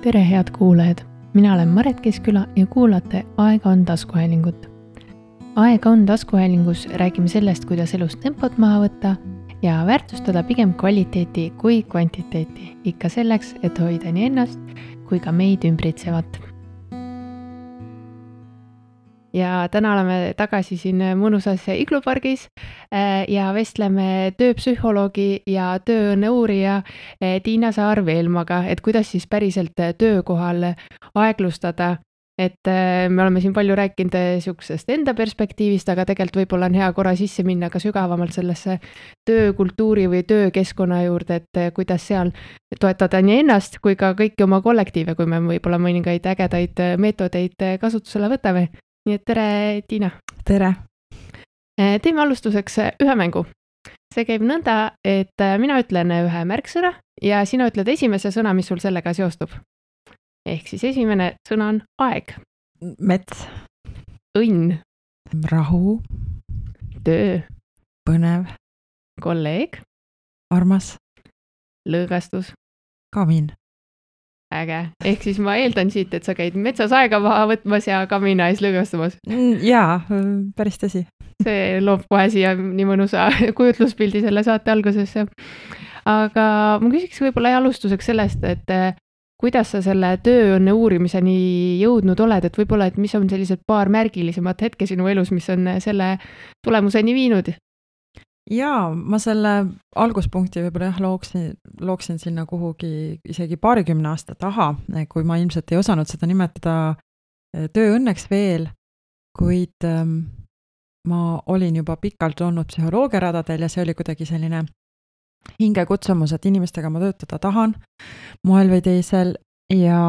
Tere head kuulajad, mina olen Maret Keskküla ja kuulate Aega on taskuhäälingut. Aega on taskuhäälingus räägime sellest, kuidas elus tempot maha võtta ja väärtustada pigem kvaliteeti kui kvantiteeti, ikka selleks, et hoida nii ennast kui ka meid ümbritsevat. Ja täna oleme tagasi siin mõnusas iglupargis ja vestleme tööpsühholoogi ja tööõnne uurija Tiina Saar-Veelmaga, et kuidas siis päriselt töökohal aeglustada. Et me oleme siin palju rääkinud siuksest enda perspektiivist, aga tegelikult võib-olla on hea korra sisse minna ka sügavamalt sellesse töökultuuri või töökeskkonna juurde, et kuidas seal toetada nii ennast kui ka kõiki oma kollektiive, kui me võib-olla mõningaid ägedaid meetodeid kasutusele võtame. Nii et tere, Tiina. Tere. Teeme alustuseks ühe mängu. See käib nõnda, et mina ütlen ühe märksõna ja sina ütled esimese sõna, mis sul sellega seostub. Ehk siis esimene sõna on aeg. Mets. Õnn. Rahu. Töö. Põnev. Kolleeg. Armas. Lõõgastus. Kamin. Äge. Ehk siis ma eeldan siit, et sa käid metsas aega maha võtmas ja kamina ees lõõgastumas. Jaa, päris tõsi. See loob kohe siia nii mõnusa kujutluspildi selle saate algusesse. Aga ma küsiks võib-olla alustuseks sellest, et kuidas sa selle tööõnne uurimiseni jõudnud oled, et võib-olla, et mis on sellised paar märgilisemat hetke sinu elus, mis on selle tulemuseni viinud? Jaa, ma selle alguspunkti võib-olla looksin sinna kuhugi isegi 20 aasta taha, kui ma ilmselt ei osanud seda nimetada tööõnneks veel, kuid ma olin juba pikalt olnud psühholoogiaradadel ja see oli kuidagi selline hingekutsumus, et inimestega ma töötada tahan moel või teisel ja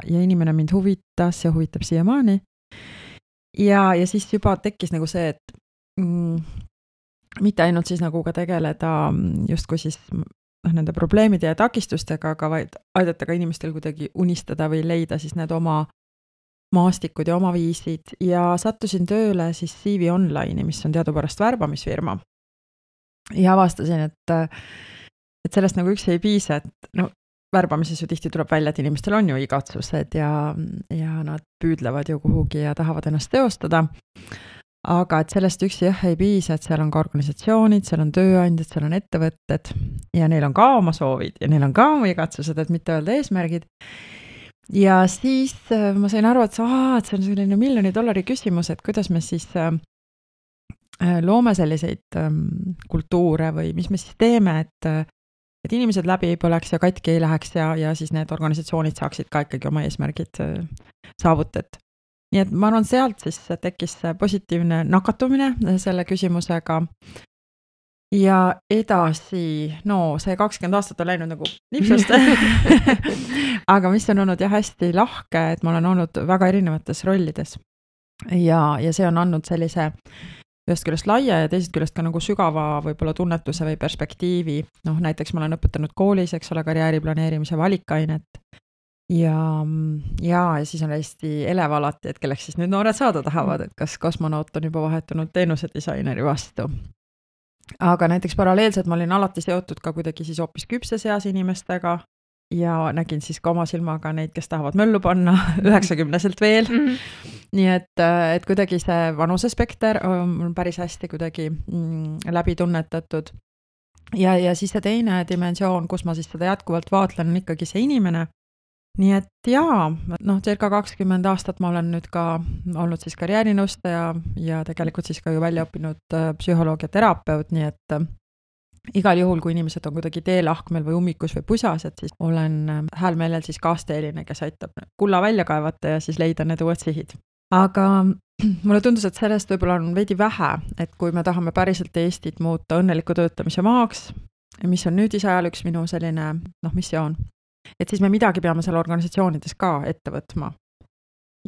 inimene mind huvitas ja huvitab siiamaani. Ja siis juba tekkis nagu see, et mitte ainult siis nagu ka tegeleda justkui siis nende probleemide ja takistustega, aga vaid aidata ka inimestel kuidagi unistada või leida siis need oma maastikud ja oma viisid. Ja sattusin tööle siis CV Online'i, mis on teadupärast värbamisfirma. Ja avastasin, et sellest nagu üks ei piisa, et värbamises ju tihti tuleb välja, et inimestel on ju igatsused ja nad püüdlevad ju kuhugi ja tahavad ennast teostada. Aga et sellest üksi ei piisa, et seal on ka organisatsioonid, seal on tööandjad, seal on ettevõtted ja neil on ka oma soovid ja neil on ka oma igatsused, et mitte öelda eesmärgid. Ja siis ma sain aru, et see on selline $1 miljoni küsimus, et kuidas me siis loome selliseid kultuure või mis me siis teeme, et inimesed läbi ei põleks ja katki ei läheks ja siis need organisatsioonid saaksid ka ikkagi oma eesmärgid saavutet. Nii et ma arvan, sealt siis tekkis positiivne nakatumine selle küsimusega ja edasi, see 20 aastat on läinud nagu nipsust, aga mis on olnud hästi lahke, et ma olen olnud väga erinevates rollides ja see on andnud sellise ühest küljest laia ja teisest küljest ka nagu sügava võib-olla tunnetuse või perspektiivi. Näiteks ma olen õpetanud koolis, eks ole, karjääriplaneerimise valikainet. Ja siis on hästi elev alati, et kelleks siis nüüd noored saada tahavad, et kas kosmonaut on juba vahetunud teenusedisaineri vastu. Aga näiteks paralleelselt ma olin alati seotud ka kuidagi siis hoopis küpses eas inimestega ja nägin siis ka oma silmaga neid, kes tahavad möllu panna 90-selt veel. Nii et kuidagi see vanusespekter on päris hästi kuidagi läbi tunnetatud. Ja siis see teine dimensioon, kus ma siis seda jätkuvalt vaatlen, on ikkagi see inimene. Nii et circa 20 aastat ma olen nüüd ka olnud siis karjäärinõustaja ja tegelikult siis ka ju välja õppinud psühholoogia terapeut, nii et igal juhul, kui inimesed on kuidagi teelahkmel või ummikus või pusas, et siis olen häälmeelel siis kaasteeline, kes aitab kulla välja kaevata ja siis leida need uued sihid. Aga mulle tundus, et sellest võib-olla on veidi vähe, et kui me tahame päriselt Eestit muuta õnneliku töötamise maaks, mis on nüüd isajal üks minu selline missioon, et siis me midagi peame seal organisatsioonides ka ette võtma.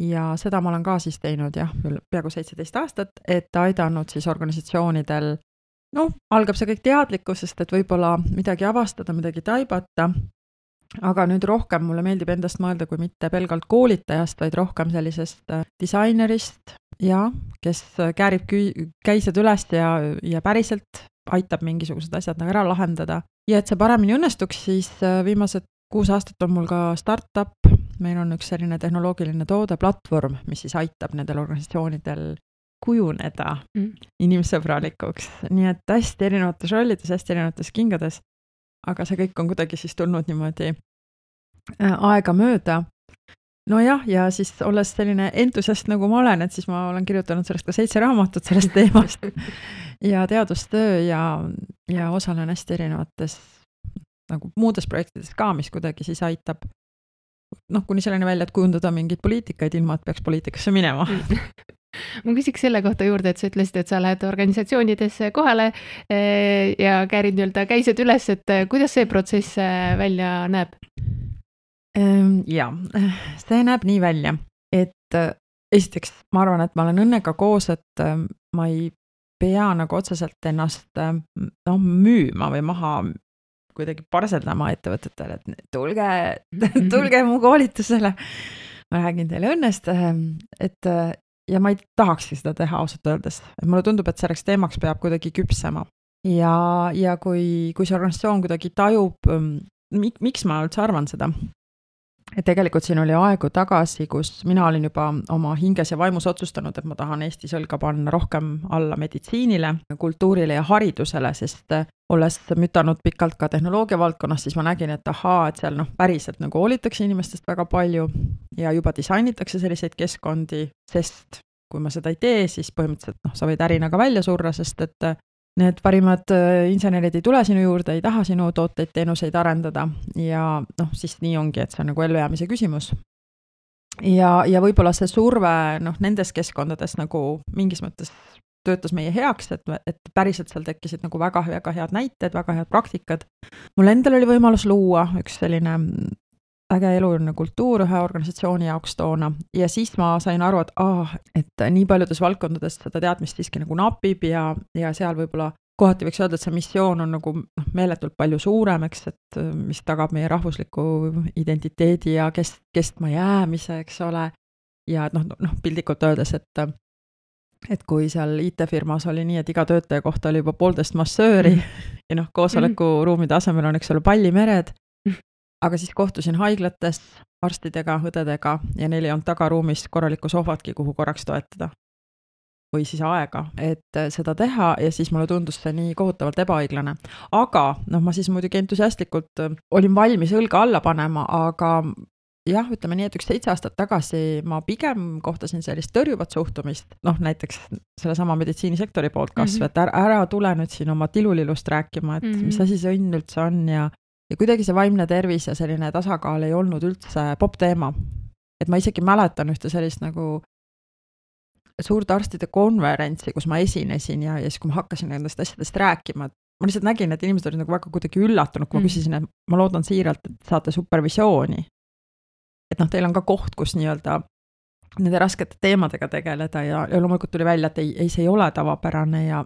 Ja seda ma olen ka siis teinud peaaegu 17 aastat, et aidanud siis organisatsioonidel, algab see kõik teadlikkusest, et võib-olla midagi avastada, midagi taibata, aga nüüd rohkem mulle meeldib endast mõelda kui mitte pelgalt koolitajast, vaid rohkem sellisest disainerist, kes käärib käised üles ja päriselt aitab mingisugused asjad ära lahendada. Ja et see paremini õnnestuks, siis viimased 6 aastat on mul ka startup, meil on üks selline tehnoloogiline toodeplatvorm, mis siis aitab nendel organisatsioonidel kujuneda inimsõbralikuks, nii et hästi erinevates rollides, hästi erinevates kingades, aga see kõik on kuidagi siis tulnud niimoodi aega mööda. Nojah, ja siis olles selline entusiast nagu ma olen, et siis ma olen kirjutanud sellest ka 7 raamatut sellest teemast ja teadustöö ja osalen hästi erinevates nagu muudes projektides ka, mis kuidagi siis aitab kuni selleni välja, et kujundada mingeid poliitikaid ilma, et peaks poliitikasse minema. Ma küsiks selle kohta juurde, et sa ütlesid, et sa lähed organisatsioonidesse kohale ja käärid käised üles, et kuidas see protsess välja näeb? Ja, see näeb nii välja, et esiteks ma arvan, et ma olen õnnega koos, et ma ei pea nagu otseselt ennast müüma või maha kuidagi parseldama ettevõtetele, et tulge mu koolitusele. Ma räägin teile õnnest, et ja ma ei tahakski seda teha ausalt öeldes. Et mulle tundub, et selleks teemaks peab kuidagi küpsema. Ja kui see organisatsioon kuidagi tajub, miks ma üldse arvan seda? Et tegelikult siin oli aegu tagasi, kus mina olin juba oma hinges ja vaimus otsustanud, et ma tahan Eesti õlga panna rohkem alla meditsiinile, kultuurile ja haridusele, sest olles mütanud pikalt ka tehnoloogia valdkonnas, siis ma nägin, et et seal päriselt nagu hoolitakse inimestest väga palju ja juba disainitakse selliseid keskkondi, sest kui ma seda ei tee, siis põhimõtteliselt sa võid ärina ka välja surra, sest et need parimad insenerid ei tule sinu juurde, ei taha sinu tooteid, teenuseid arendada ja siis nii ongi, et see on nagu ellujäämise küsimus. Ja võib-olla see surve nendes keskkondades nagu mingis mõttes töötas meie heaks, et päriselt seal tekkisid nagu väga head näited, väga head praktikad. Mul endal oli võimalus luua üks selline äge eluline kultuur ühe organisatsiooni jaoks toona ja siis ma sain aru, et nii paljudes valdkondades seda teadmist siiski nagu napib ja seal võib-olla kohati võiks öelda, et see missioon on nagu meeletult palju suurem, eks, et mis tagab meie rahvusliku identiteedi ja kestma jäämise, eks ole. Ja pildikult öeldes, et kui seal IT-firmas oli nii, et iga töötaja kohta oli juba 1,5 massööri ja koosolekuruumide asemel on, eks ole, pallimered. Aga siis kohtusin haiglates, arstidega, õdedega ja neil ei olnud tagaruumis korralikku sohvatki, kuhu korraks toetada. Või siis aega, et seda teha ja siis mulle tundus see nii kohutavalt ebaõiglane. Aga ma siis muidugi entusiastlikult olin valmis õlga alla panema, aga jah, ütleme nii, et 7 aastat tagasi ma pigem kohtasin sellist tõrjuvat suhtumist, näiteks sellesama meditsiinisektori poolt kasv, et ära tule nüüd siin oma tilulilust rääkima, et mis asi see õnn üldse on ja kuidagi see vaimne tervis ja selline tasakaal ei olnud üldse popp teema. Et ma isegi mäletan ühte sellist nagu suurt arstide konverentsi, kus ma esinesin ja siis kui ma hakkasin nendest asjadest rääkima, ma lihtsalt nägin, et inimesed olid nagu väga kuidagi üllatunud, kui ma küsisin, et ma loodan siiralt, et saate supervisiooni. Et teil on ka koht, kus nii-öelda nende raskete teemadega tegeleda ja loomulikult tuli välja, et ei, see ei ole tavapärane ja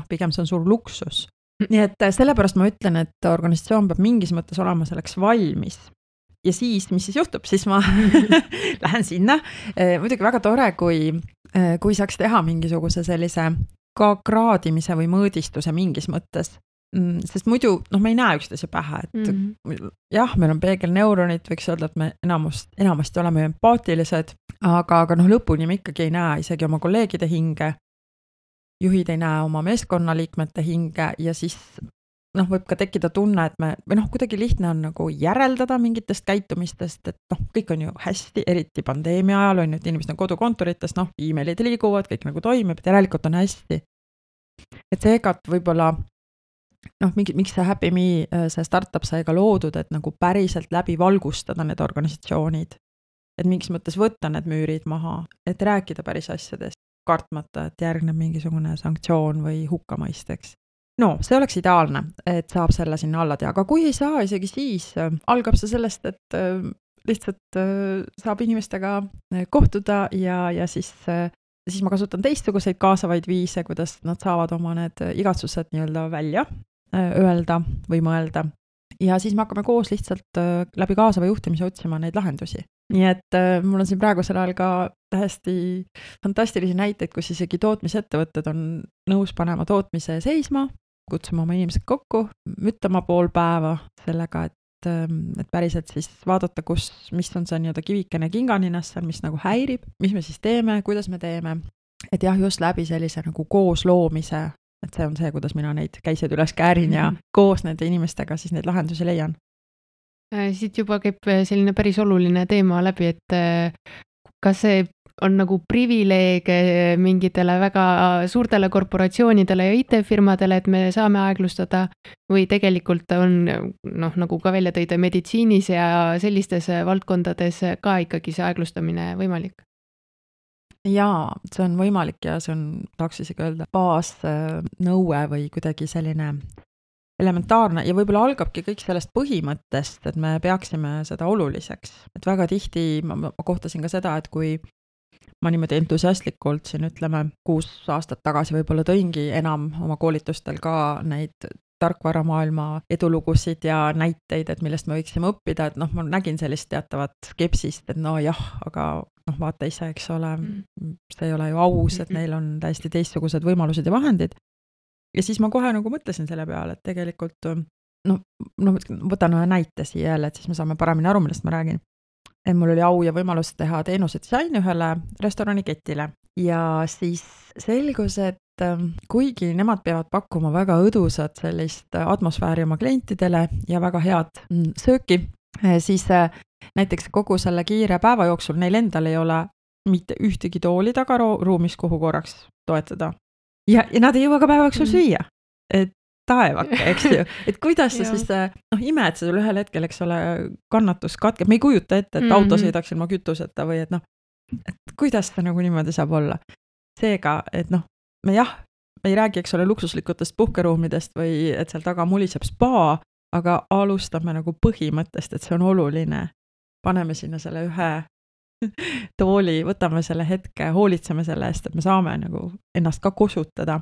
pigem see on suur luksus. Nii et sellepärast ma ütlen, et organisatsioon peab mingis mõttes olema selleks valmis. Ja siis, mis siis juhtub, siis ma lähen sinna. Muidugi väga tore, kui saaks teha mingisuguse sellise ka kraadimise või mõõdistuse mingis mõttes. Sest muidu, me ei näe üksteise pähe, et jah, meil on peegelneuronid, võiks öelda, et me enamasti oleme empaatilised, aga lõpuni me ikkagi ei näe isegi oma kolleegide hinge. Juhid ei näe oma meeskonnaliikmete hinge ja siis võib ka tekkida tunne, et me kuidagi lihtne on nagu järeldada mingitest käitumistest, et kõik on ju hästi, eriti pandeemia ajal on ju, et inimesed on kodukontorites, e-mailid liiguvad, kõik nagu toimib, et järelikult on hästi. Et seega võib-olla miks see Happy Me, see startup sai ka loodud, et nagu päriselt läbi valgustada need organisatsioonid, et mingis mõttes võtta need müürid maha, et rääkida päris asjadest. Kartmata, et järgneb mingisugune sanktsioon või hukkamõisteks. See oleks ideaalne, et saab selle sinna alla teha, aga kui ei saa, isegi siis algab see sellest, et lihtsalt saab inimestega kohtuda ja siis ma kasutan teistsuguseid kaasavaid viise, kuidas nad saavad oma need igatsused nii-öelda välja öelda või mõelda. Ja siis me hakkame koos lihtsalt läbi kaasava juhtimise otsima neid lahendusi. Nii et mul on siin praegusel ajal ka tähesti fantastilisi näiteid, kus isegi tootmisettevõtted on nõus panema tootmise seisma, kutsuma oma inimesed kokku, müttama pool päeva sellega, et päriselt siis vaadata, mis on see nii-öelda kivikene kinganinas seal, mis nagu häirib, mis me siis teeme, kuidas me teeme, et jah, just läbi sellise nagu koos loomise, et see on see, kuidas mina neid käiseid üles käärin ja koos nende inimestega siis neid lahendusi leian. Siit juba käib selline päris oluline teema läbi, et kas see on nagu privileeg mingitele väga suurtele korporatsioonidele ja IT-firmadele, et me saame aeglustada või tegelikult on, nagu ka välja tõide, meditsiinis ja sellistes valdkondades ka ikkagi see aeglustamine võimalik? Jaa, see on võimalik ja see on, tahaks isegi öelda, baasnõue või kuidagi selline elementaarne ja võib-olla algabki kõik sellest põhimõttest, et me peaksime seda oluliseks. Et väga tihti ma kohtasin ka seda, et kui ma niimoodi entusiastlikult siin ütleme 6 aastat tagasi võib-olla tõingi enam oma koolitustel ka neid tarkvaramaailma edulugusid ja näiteid, et millest me võiksime õppida, et ma nägin sellist teatavat skepsist, et aga vaata ise, eks ole, see ei ole ju aus, et neil on täiesti teistsugused võimalused ja vahendid. Ja siis ma kohe nagu mõtlesin selle peale, et tegelikult, võtan ühe näite siia jälle, et siis me saame paremini aru, millest ma räägin. Et mul oli au ja võimalus teha teenuse disaini ühele restoraniketile ja siis selgus, et kuigi nemad peavad pakkuma väga õdusat sellist atmosfääri oma klientidele ja väga head sööki, siis näiteks kogu selle kiire päeva jooksul neil endal ei ole mitte ühtegi tooli tagaruumis, kuhu korraks toetada. Ja nad ei jõua ka päeva jooksul süüa. Et taevake, eks ju. Et kuidas sa siis, ime, et sul ühel hetkel, eks ole, kannatus katkeb. Me ei kujuta ette, et auto sõidaks ilma kütuseta või et et kuidas see nagu niimoodi saab olla. Seega, et me ei räägi, eks ole, luksuslikutest puhkeruumidest või et seal taga muliseb spa, aga alustame nagu põhimõttest, et see on oluline. Paneme sinna selle ühe tooli, võtame selle hetke, hoolitseme selle eest, et me saame nagu ennast ka kosutada.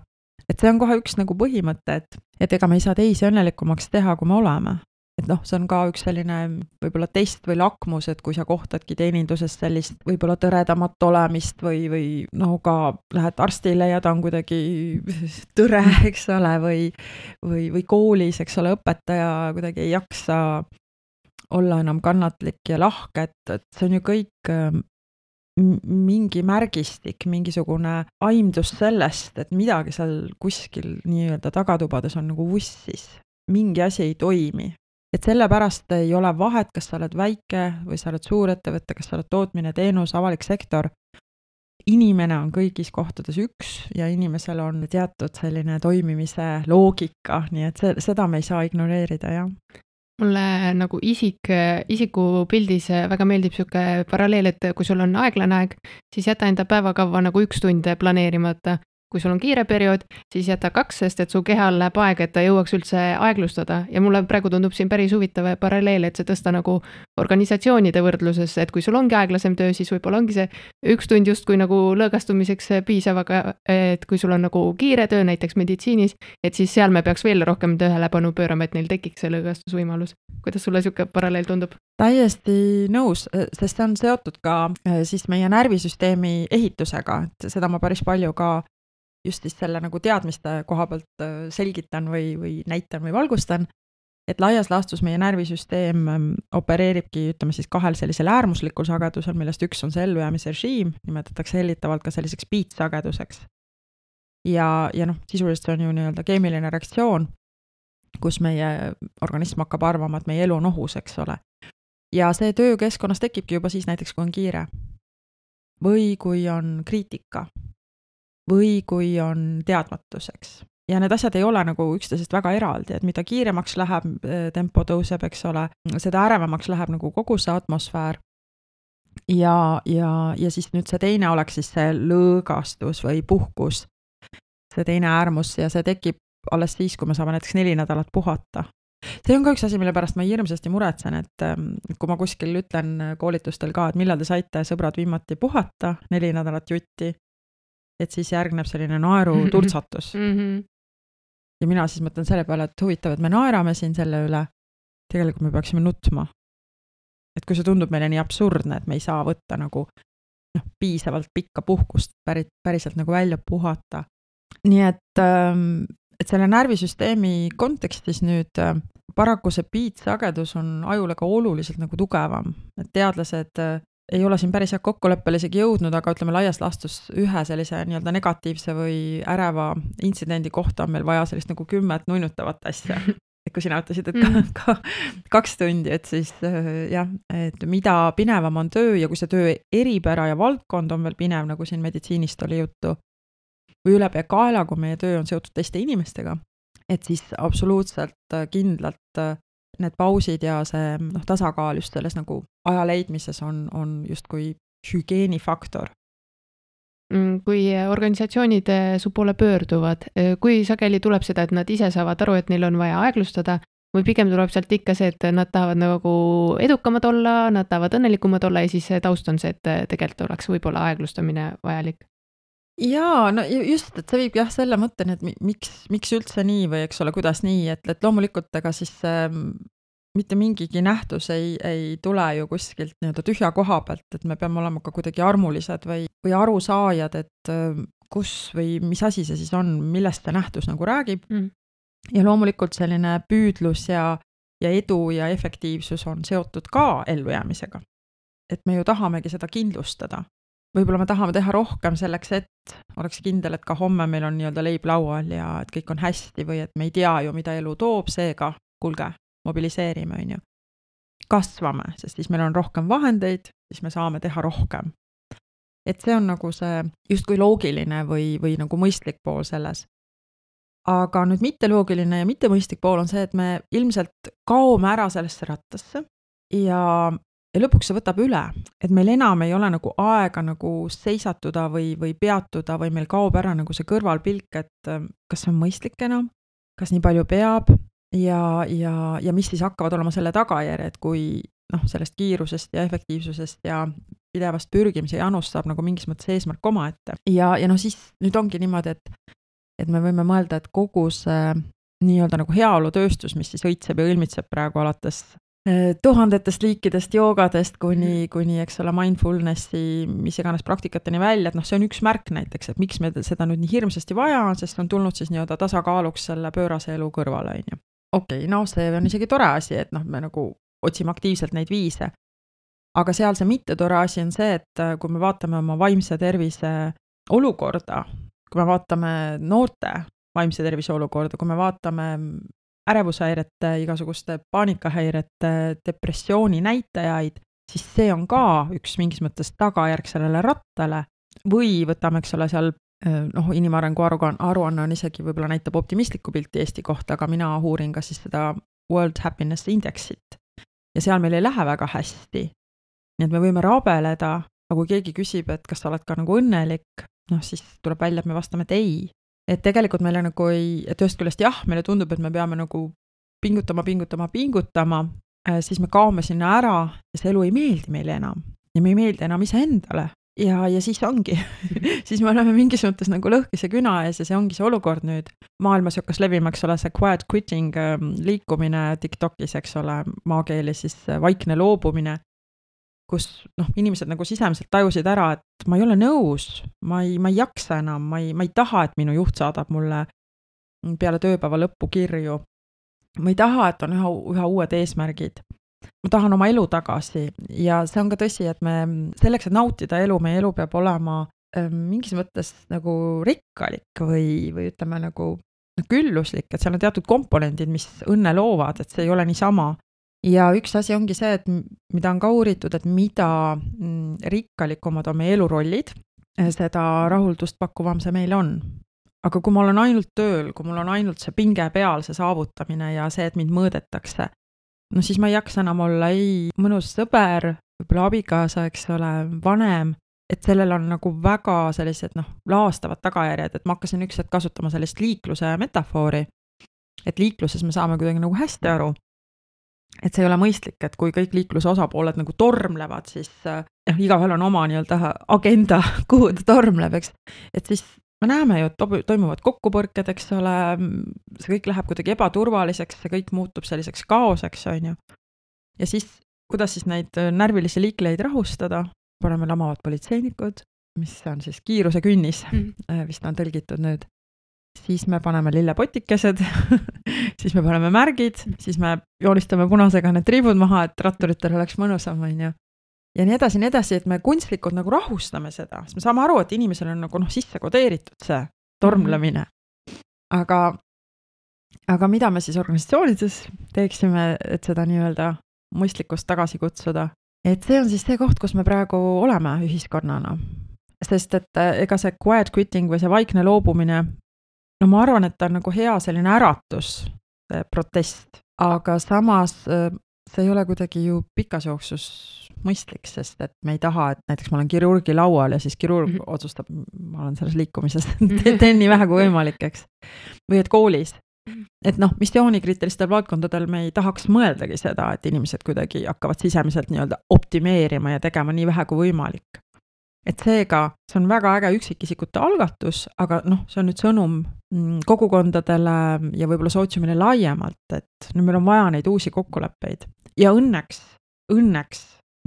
Et see on kohe üks nagu põhimõte, et ega me ei saa teisi õnnelikumaks teha, kui me oleme. Et see on ka üks selline võib-olla test või lakmus, et kui sa kohtadki teeninduses sellist võib-olla tõredamat olemist või ka lähed arstile ja ta on kuidagi tõre, eks ole, või koolis, eks ole, õpetaja kuidagi ei jaksa olla enam kannatlik ja lahke, et see on ju kõik mingi märgistik, mingisugune aimdus sellest, et midagi seal kuskil nii-öelda tagatubades on nagu vussis. Mingi asi ei toimi. Et sellepärast ei ole vahet, kas sa oled väike või sa oled suur ettevõte, kas sa oled tootmine, teenus, avalik sektor. Inimene on kõigis kohtades üks ja inimesel on teatud selline toimimise loogika, nii et seda me ei saa ignoreerida, jah. Mulle nagu isiku pildis väga meeldib siuke paralleel, et kui sul on aeglane aeg, siis jäta enda päevakava nagu 1 tund planeerimata. Kui sul on kiire periood, siis jäta 2, sest et su kehal läheb aeg, et ta jõuaks üldse aeglustada. Ja mulle praegu tundub siin päris huvitav paralleel, et see tõsta nagu organisatsioonide võrdluses, et kui sul ongi aeglasem töö, siis võib-olla ongi see 1 tund justkui nagu lõõgastumiseks piisav, aga et kui sul on nagu kiire töö näiteks meditsiinis, et siis seal me peaks veel rohkem tähelepanu pöörama, et neil tekiks see lõõgastusvõimalus. Kuidas sulle siuke paralleel tundub? Täiesti nõus, sest see on seotud ka siis meie närvisüsteemi ehitusega, et seda ma päris palju ka just siis selle nagu teadmiste koha pealt selgitan või näitan või valgustan, et laias laastus meie närvisüsteem opereeribki, ütleme siis 2 sellisel äärmuslikul sagedusel, millest üks on see ellujäämise režiim, nimetatakse hellitavalt ka selliseks beat-sageduseks. Ja sisuliselt see on ju nii-öelda keemiline reaktsioon, kus meie organism hakkab arvama, et meie elu on ohus, eks ole. Ja see töökeskkonnas tekibki juba siis näiteks, kui on kiire või kui on kriitika või kui on teadmatuseks. Ja need asjad ei ole nagu üksteisest väga eraldi, et mida kiiremaks läheb, tempo tõuseb, eks ole, seda ärevamaks läheb nagu kogu see atmosfäär. Ja siis nüüd see teine oleks siis see lõõgastus või puhkus, see teine äärmus ja see tekib alles siis, kui me saame näiteks 4 nädalat puhata. See on ka üks asi, mille pärast ma hirmsasti muretsen, et kui ma kuskil ütlen koolitustel ka, et millal te saite sõbrad viimati puhata, 4 nädalat jutti, et siis järgneb selline naeru turtsatus. Ja mina siis mõtlen selle peale, et huvitav, et me naerame siin selle üle, tegelikult me peaksime nutma. Et kui see tundub meile nii absurdne, et me ei saa võtta nagu piisavalt pikka puhkust päriselt nagu välja puhata. Nii et et selle närvisüsteemi kontekstis nüüd paraku see beat-sagedus on ajule ka oluliselt nagu tugevam, et teadlased ei ole siin päris kokkuleppele isegi jõudnud, aga ütleme laias laastus ühe sellise nii-öelda negatiivse või äreva intsidendi kohta on meil vaja sellist nagu 10 nunnutavat asja. Et kui sina ütlesid, et 2 tundi, et siis jah, et mida pinevam on töö ja kui see töö eripära ja valdkond on veel pinev, nagu siin meditsiinist oli juttu, või ülepea kaela, kui meie töö on seotud teiste inimestega, et siis absoluutselt kindlalt need pausid ja see tasakaal just selles nagu aja leidmises on justkui hügieenifaktor. Kui organisatsioonid su poole pöörduvad, kui sageli tuleb seda, et nad ise saavad aru, et neil on vaja aeglustada, või pigem tuleb sealt ikka see, et nad tahavad nagu edukamad olla, nad tahavad õnnelikumad olla ja siis taust on see, et tegelikult oleks võib-olla aeglustamine vajalik? Jaa, no just, et see viib jah selle mõtteni, et miks üldse nii või eks ole, kuidas nii, et loomulikult ega siis mitte mingigi nähtus ei tule ju kuskilt nii-öelda tühja koha pealt, et me peame olema ka kuidagi armulised või arusaajad, et kus või mis asi see siis on, millest see nähtus nagu räägib. Ja loomulikult selline püüdlus ja edu ja efektiivsus on seotud ka ellujäämisega. Et me ju tahamegi seda kindlustada. Võib-olla me tahame teha rohkem selleks, et oleks kindel, et ka homme meil on nii-öelda leib laual ja et kõik on hästi või et me ei tea ju, mida elu toob, seega kulge, mobiliseerime, on ju. Kasvame, sest siis meil on rohkem vahendeid, siis me saame teha rohkem. Et see on nagu see justkui loogiline või nagu mõistlik pool selles. Aga nüüd mitte loogiline ja mitte mõistlik pool on see, et me ilmselt kaome ära sellesse rattasse ja lõpuks see võtab üle, et meil enam ei ole nagu aega nagu seisatuda või peatuda või meil kaob ära nagu see kõrvalpilk, et kas see on mõistlik enam, kas nii palju peab ja mis siis hakkavad olema selle tagajärjed, kui sellest kiirusest ja efektiivsusest ja pidevast pürgimise janust saab nagu mingis mõttes eesmärk omaette. Ja siis nüüd ongi niimoodi, et me võime mõelda, et kogu see nii-öelda nagu heaolutööstus, mis siis õitseb ja õlmitseb praegu alates tuhandetest liikidest, joogadest kuni eks ole, mindfulnessi, mis iganes praktikateni välja, et see on üks märk näiteks, et miks me seda nüüd nii hirmsasti vaja on, sest on tulnud siis nii-öelda tasakaaluks selle pöörase elu kõrvale, on ju. Okei, see on isegi tore asi, et me nagu otsime aktiivselt neid viise. Aga seal see mitte tore asi on see, et kui me vaatame oma vaimse tervise olukorda, kui me vaatame noorte vaimse tervise olukorda, kui me vaatame ärevushäirete, igasuguste paanikahäirete, depressiooni näitajaid, siis see on ka üks mingis mõttes tagajärg sellele rattale või võtame, eks ole, seal inimarengu aruanne on isegi võib-olla näitab optimistlikku pilti Eesti kohta, aga mina uurin ka siis seda World Happiness Indexit ja seal meil ei lähe väga hästi. Nii et me võime rabeleda, aga kui keegi küsib, et kas sa oled ka nagu õnnelik, siis tuleb välja, et me vastame, et ei. Et tegelikult meile nagu et ühest küljest jah, meile tundub, et me peame nagu pingutama, siis me kaome sinna ära ja see elu ei meeldi meile enam. Ja me ei meeldi enam iseendale. Ja siis ongi. Siis me oleme mingis mõttes nagu lõhkise küna ees ja see ongi see olukord nüüd. Maailmas hakkas levima, eks ole, see quiet quitting liikumine TikTokis, eks ole, maakeeli siis vaikne loobumine, kus inimesed nagu sisemiselt tajusid ära, et ma ei ole nõus, ma ei jaksa enam, ma ei taha, et minu juht saadab mulle peale tööpäeva lõppu kirju. Ma ei taha, et on üha uued eesmärgid. Ma tahan oma elu tagasi ja see on ka tõsi, et me selleks, et nautida elu, meie elu peab olema mingis mõttes nagu rikkalik või ütleme nagu külluslik, et seal on teatud komponendid, mis õnne loovad, et see ei ole niisama. Ja üks asi ongi see, et mida on ka uuritud, et mida rikkalikumad on meie elurollid, seda rahuldust pakkuvam see meil on. Aga kui ma olen ainult tööl, kui mul on ainult see pinge peal, see saavutamine ja see, et mind mõõdetakse, siis ma ei jaksa enam olla mõnus sõber, võib-olla abikaasa, eks ole, vanem, et sellel on nagu väga sellised laastavad tagajärjed, et ma hakkasin üks hetk kasutama sellist liikluse metafoori, et liikluses me saame kuidagi nagu hästi aru, et see ei ole mõistlik, et kui kõik liikluse osapooled nagu tormlevad, siis igaühel on oma nii-öelda agenda, kuhu ta tormleb, eks. Et siis me näeme ju, et toimuvad kokkupõrked, eks ole, see kõik läheb kuidagi ebaturvaliseks, see kõik muutub selliseks kaoseks, on ju. Ja siis, kuidas siis neid närvilisi liikleid rahustada, paneme lamavad politseinikud, mis on siis kiiruse künnis, vist on tõlgitud nüüd. siis me paneme lillepotikesed, siis me paneme märgid, siis me joonistame punasega need triibud maha, et ratturitel oleks mõnusam, on ju. Ja nii edasi, et me kunstlikult nagu rahustame seda, sest me saame aru, et inimesel on nagu sisse kodeeritud see tormlemine. Aga mida me siis organisatsioonides teeksime, et seda nii-öelda mõistlikkust tagasi kutsuda? Et see on siis see koht, kus me praegu oleme ühiskonnana. Sest et ega see quiet quitting või see vaikne loobumine, no ma arvan, et ta on nagu hea selline äratus, see protest, aga samas see ei ole kuidagi ju pikas jooksus mõistlik, sest et me ei taha, et näiteks ma olen kirurgi laual ja siis kirurg otsustab, ma olen selles liikumises, teen nii vähe kui võimalik, eks. Või et koolis. Et missioonikriitilistel valdkondadel me ei tahaks mõeldagi seda, et inimesed kuidagi hakkavad sisemiselt nii-öelda optimeerima ja tegema nii vähe kui võimalik. Et seega, see on väga äge üksikisikute algatus, aga see on nüüd sõnum kogukondadele ja võib-olla sootsiumile laiemalt, et nüüd meil on vaja neid uusi kokkuleppeid. Ja õnneks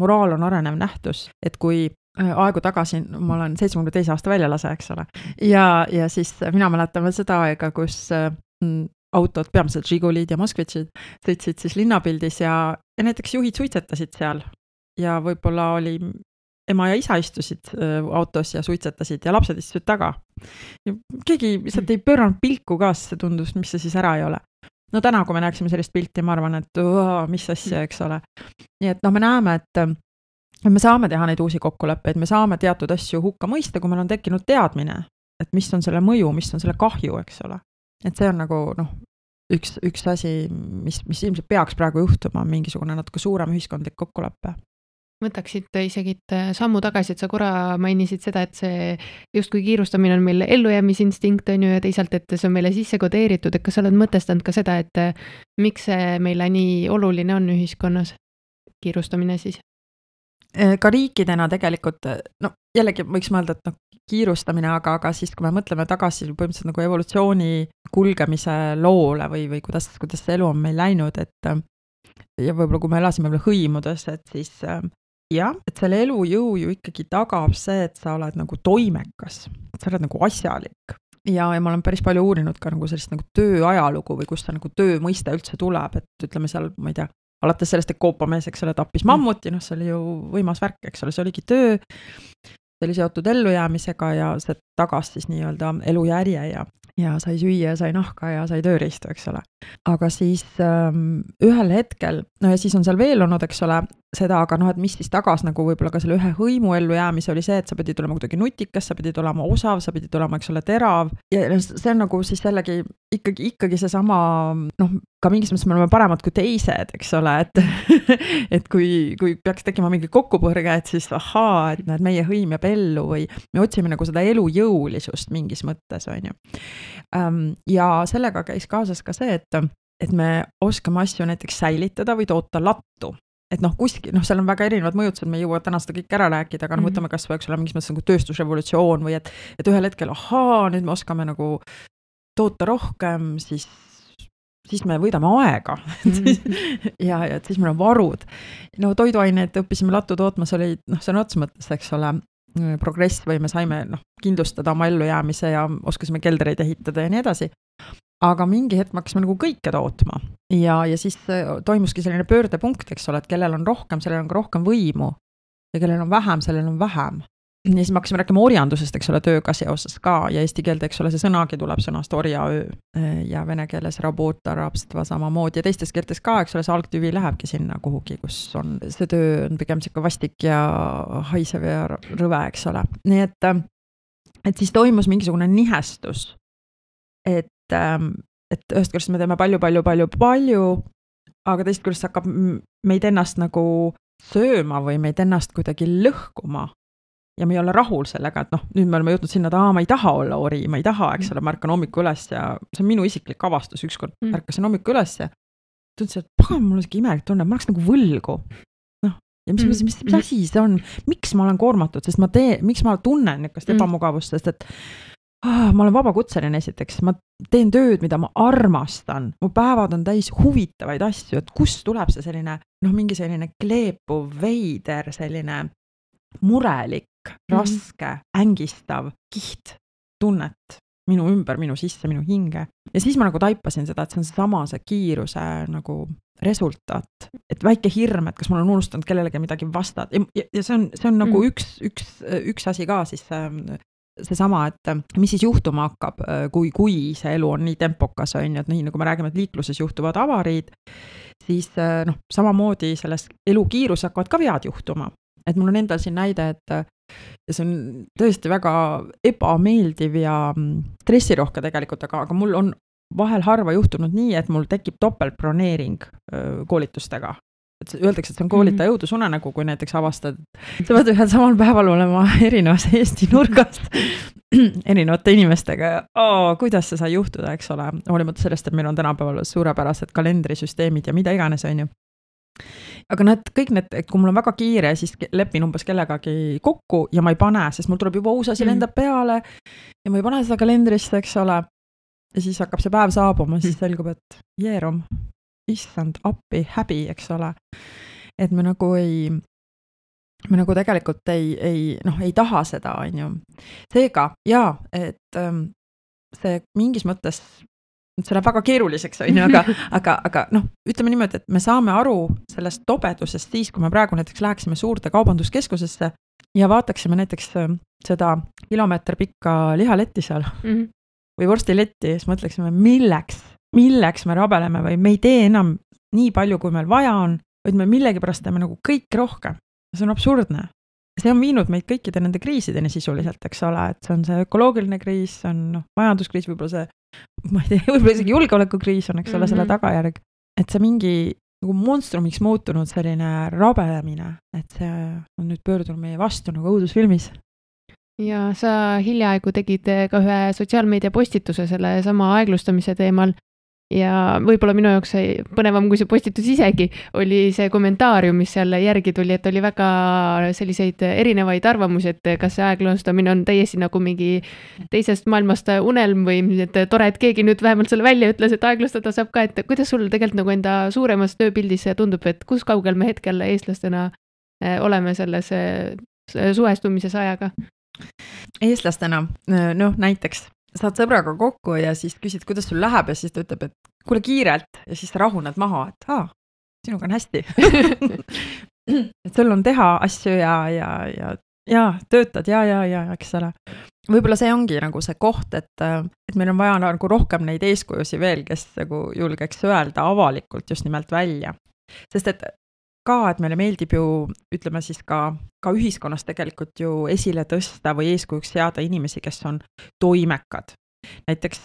moraal on arenev nähtus, et kui aegu tagasi, ma olen 72 aasta väljalase, eks ole, ja siis mina mäletan veel seda aega, kus autod, peamiselt Žigulid ja Moskvitšid sõitsid siis linnapildis ja näiteks juhid suitsetasid seal ja võib-olla oli ema ja isa istusid autos ja suitsetasid ja lapsed istusid taga. Ja keegi lihtsalt ei pööranud pilku ka, see tundus, mis see siis ära ei ole. No täna, kui me näeksime sellist pilti, ma arvan, et mis asja, eks ole. Nii et me näeme, et me saame teha neid uusi kokkuleppeid, me saame teatud asju hukka mõista, kui meil on tekkinud teadmine, et mis on selle mõju, mis on selle kahju, eks ole. Et see on nagu üks asi, mis ilmselt peaks praegu juhtuma, mingisugune natuke suurem ühiskondlik kokkulepe. Võtaksid isegi sammu tagasi, et sa korra mainisid seda, et see justkui kiirustamine on meil ellujäämisinstinkt, on ju, ja teisalt, et see on meile sisse kodeeritud, et kas sa oled mõtestanud ka seda, et miks see meile nii oluline on ühiskonnas, kiirustamine siis? Ka riikidena tegelikult, jällegi võiks mõelda, et kiirustamine, aga siis, kui me mõtleme tagasi põhimõtteliselt nagu evolutsiooni kulgemise loole või kuidas see elu on meil läinud, et ja võib-olla kui me elasime hõimudes, et siis et selle elujõu ju ikkagi tagab see, et sa oled nagu toimekas, et sa oled nagu asjalik. Ja ma olen päris palju uurinud ka nagu sellist nagu tööajalugu või kust see nagu töö mõiste üldse tuleb, et ütleme seal, ma ei tea, alates sellest, et koopamees, eks ole, tappis mammuti, see oli ju võimas värk, eks ole, see oligi töö, see oli seotud ellujäämisega ja see tagas siis nii-öelda elujärje ja sai süüa, sai nahka ja sai tööriistu, eks ole. Aga siis ühel hetkel, ja siis on seal veel olnud, eks ole, seda, aga et mis siis tagas nagu võib-olla ka selle ühe hõimu ellujäämise oli see, et sa pidid olema kuidagi nutikas, sa pidid olema osav, sa pidid olema, eks ole, terav. Ja see on nagu siis jällegi ikkagi seesama, ka mingis mõttes me oleme paremad kui teised, eks ole, et kui peaks tekkima mingi kokkupõrge, et siis et meie hõim jääb ellu või me otsime nagu seda elujõulisust mingis mõttes, on ju. Ja sellega käis kaasas ka see, et me oskame asju näiteks säilitada või toota lattu. Et kuskil, seal on väga erinevad mõjutused, me ei jõua täna seda kõik ära rääkida, aga võtame kas või, eks ole, mingis mõttes nagu tööstusrevolutsioon või et ühel hetkel, nüüd me oskame nagu toota rohkem, siis me võidame aega ja et siis meil on varud. Toiduaineid õppisime lattu tootmas, oli see on ots mõttes, eks ole, progress või me saime kindlustada oma ellujäämise ja oskasime keldreid ehitada ja nii edasi. Aga mingi hetk me hakkasime nagu kõike tootma ja siis toimuski selline pöördepunkt, eks ole, et kellel on rohkem, sellel on ka rohkem võimu ja kellel on vähem, sellel on vähem. Ja siis me hakkasime rääkima orjandusest, eks ole, tööga seoses ka ja eesti keelde, eks ole, see sõnagi tuleb sõnast orjaöö ja vene keeles rabota, rabstva samamoodi ja teistes keeltes ka, eks ole, see algtüvi lähebki sinna kuhugi, kus on see töö on pigem siuke vastik ja haisev ja rõve, eks ole. Nii et siis toimus mingisugune nihestus, et ühest küljest me teeme palju, aga teist küljest hakkab meid ennast nagu sööma või meid ennast kuidagi lõhkuma ja me ei ole rahul sellega, et nüüd me oleme jõudnud sinna, et ma ei taha olla ori, ma ei taha, eks ole, ma ärkan hommiku üles ja see on minu isiklik avastus, ükskord ärkasin hommiku üles ja tundsin, et pagan, mul on siuke imelik tunne, ma oleks nagu võlgu. Ja mis asi see on, miks ma olen koormatud, sest miks ma tunnen niukast ebamugavust, sest et ma olen vabakutseline esiteks, ma teen tööd, mida ma armastan, mu päevad on täis huvitavaid asju, et kust tuleb see selline, mingi selline kleepuv, veider, selline murelik, raske, ängistav kiht tunnet minu ümber, minu sisse, minu hinge. Ja siis ma nagu taipasin seda, et see on seesama see kiiruse nagu resultaat, et väike hirm, et kas ma olen unustanud kellelegi midagi vastata ja see on nagu üks asi ka siis seesama, et mis siis juhtuma hakkab, kui see elu on nii tempokas, on ju, et nii nagu me räägime, et liikluses juhtuvad avariid, siis noh, samamoodi selles elukiirus hakkavad ka vead juhtuma. Et mul on endal siin näide, et see on tõesti väga ebameeldiv ja stressirohke tegelikult, aga mul on vahel harva juhtunud nii, et mul tekib topeltbroneering koolitustega. Et öeldakse, et see on koolitaja õudusunenägu, kui näiteks avastad, sa pead ühel samal päeval olema erinevas Eesti nurgast erinevate inimestega ja kuidas see sai juhtuda, eks ole, hoolimata sellest, et meil on tänapäeval suurepärased kalendrisüsteemid ja mida iganes, on ju. Aga kõik need, kui mul on väga kiire, siis lepin umbes kellegagi kokku ja ma ei pane, sest mul tuleb juba uus asi lendab peale ja ma ei pane seda kalendrisse, eks ole. Ja siis hakkab see päev saabuma, siis selgub, et jeerum, issand, appi, häbi, eks ole. Et me nagu tegelikult ei taha seda, on ju. Seega, jaa, et see mingis mõttes, see läheb väga keeruliseks, on ju, aga noh, ütleme niimoodi, et me saame aru sellest tobedusest siis, kui me praegu näiteks läheksime suurte kaubanduskeskusesse ja vaataksime näiteks seda kilomeeter pikka lihaletti seal või vorstiletti, siis mõtleksime, milleks me rabeleme või me ei tee enam nii palju, kui meil vaja on, vaid me millegipärast teeme nagu kõik rohkem. See on absurdne. See on viinud meid kõikide nende kriisideni sisuliselt, eks ole, et see on see ökoloogiline kriis, see on majanduskriis, võib-olla see, ma ei tea, võib-olla isegi julgeolekukriis on, eks ole, selle tagajärg. Et see mingi nagu monstrumiks muutunud selline rabelemine, et see on nüüd pöördunud meie vastu nagu õudusfilmis. Ja sa hiljaaegu tegid ka ühe sotsiaalmeedia postituse selle sama aeglustamise teemal ja võib-olla minu jaoks põnevam kui see postitus isegi oli see kommentaarium, mis seal järgi tuli, et oli väga selliseid erinevaid arvamusi, et kas see aeglustamine on täiesti nagu mingi teisest maailmast unelm või et tore, et keegi nüüd vähemalt selle välja ütles, et aeglustada saab ka, et kuidas sul tegelikult nagu enda suuremas tööpildis tundub, et kus kaugel me hetkel eestlastena oleme selles suhestumises ajaga? Eestlastena, noh näiteks saad sõbraga kokku ja siis küsid, kuidas sul läheb ja siis ta ütleb, et kuule kiirelt ja siis sa rahuned maha, et sinuga on hästi. Et sul on teha asju ja töötad ja, eks ole. Võib-olla see ongi nagu see koht, et meil on vaja nagu rohkem neid eeskujusi veel, kes nagu julgeks öelda avalikult just nimelt välja. Sest et meile meeldib ju, ütleme siis ka ühiskonnas tegelikult ju esile tõsta või eeskujuks seada inimesi, kes on toimekad. Näiteks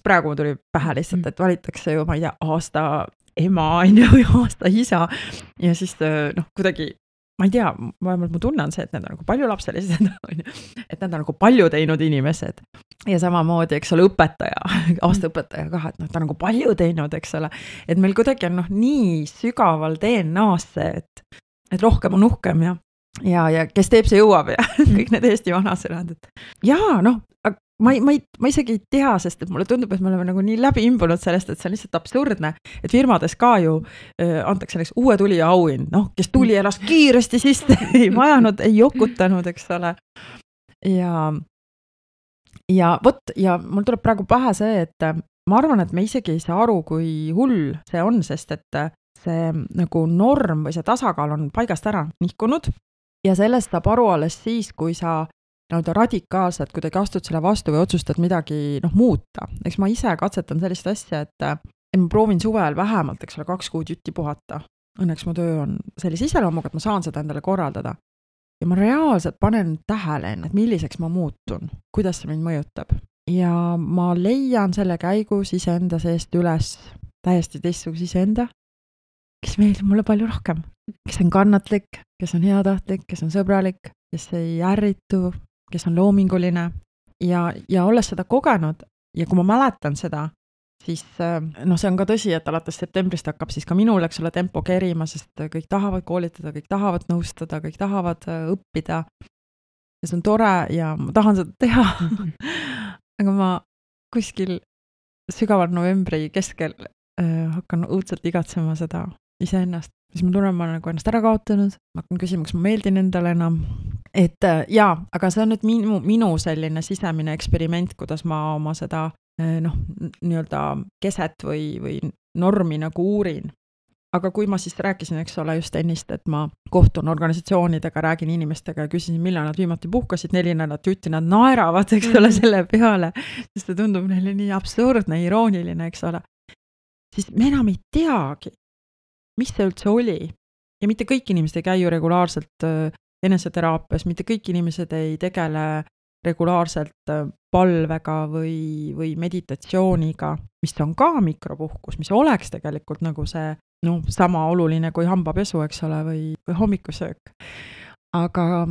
praegu tuli pähe lihtsalt, et valitakse ju, ma ei tea, aasta ema või aasta isa ja siis kuidagi, ma ei tea, vähemalt mu tunne on see, et need on nagu paljulapselised, et need on nagu palju teinud inimesed. Ja samamoodi, eks ole, õpetaja, aastaõpetaja ka, et ta on nagu palju teinud, eks ole. Et meil kuidagi on nii sügaval DNA-sse, et rohkem on uhkem ja kes teeb, see jõuab ja kõik need Eesti vanasõnad. Jaa, ma isegi ei tea, sest et mulle tundub, et me oleme nagu nii läbi imbunud sellest, et see on lihtsalt absurdne, et firmades ka ju antakse näiteks uue tulija auhind, kes tuli elas kiiresti sisse, ei majanud, ei jokutanud, eks ole. Ja mul tuleb praegu pähe see, et ma arvan, et me isegi ei saa aru, kui hull see on, sest et see nagu norm või see tasakaal on paigast ära nihkunud ja sellest saab aru alles siis, kui sa radikaalselt kuidagi astud selle vastu või otsustad midagi muuta. Eks ma ise katsetan sellist asja, et ma proovin suvel vähemalt, eks ole, 2 kuud jutti puhata. Õnneks mu töö on sellise iseloomuga, et ma saan seda endale korraldada. Ja ma reaalselt panen tähele, et milliseks ma muutun, kuidas see mind mõjutab. Ja ma leian selle käigus iseenda seest üles täiesti teistsuguse iseenda, kes meeldib mulle palju rohkem. Kes on kannatlik, kes on heatahtlik, kes on sõbralik, kes ei ärritu, kes on loominguline ja olles seda kogenud ja kui ma mäletan seda, siis see on ka tõsi, et alates septembrist hakkab siis ka minul, eks ole, tempo kerima, sest kõik tahavad koolitada, kõik tahavad nõustada, kõik tahavad õppida ja see on tore ja ma tahan seda teha. Aga ma kuskil sügaval novembri keskel hakkan õudselt igatsema seda iseennast. Siis ma tunnen, ma olen nagu ennast ära kaotanud, ma hakkan küsima, kas ma meeldin endale enam et jaa, aga see on nüüd minu selline sisemine eksperiment, kuidas ma oma seda nii-öelda keset või normi nagu uurin. Aga kui ma siis rääkisin, eks ole, just ennist, et ma kohtun organisatsioonidega, räägin inimestega ja küsisin, millal nad viimati puhkasid 4 nädalat jutti, nad naeravad, eks ole, selle peale, sest see tundub neile nii absurdne, irooniline, eks ole. Siis me enam ei teagi, mis see üldse oli. Ja mitte kõik inimesed ei käi ju regulaarselt eneseteraapias, mitte kõik inimesed ei tegele regulaarselt palvega või meditatsiooniga, mis on ka mikropuhkus, mis oleks tegelikult nagu see sama oluline kui hambapesu, eks ole, või hommikusöök. Aga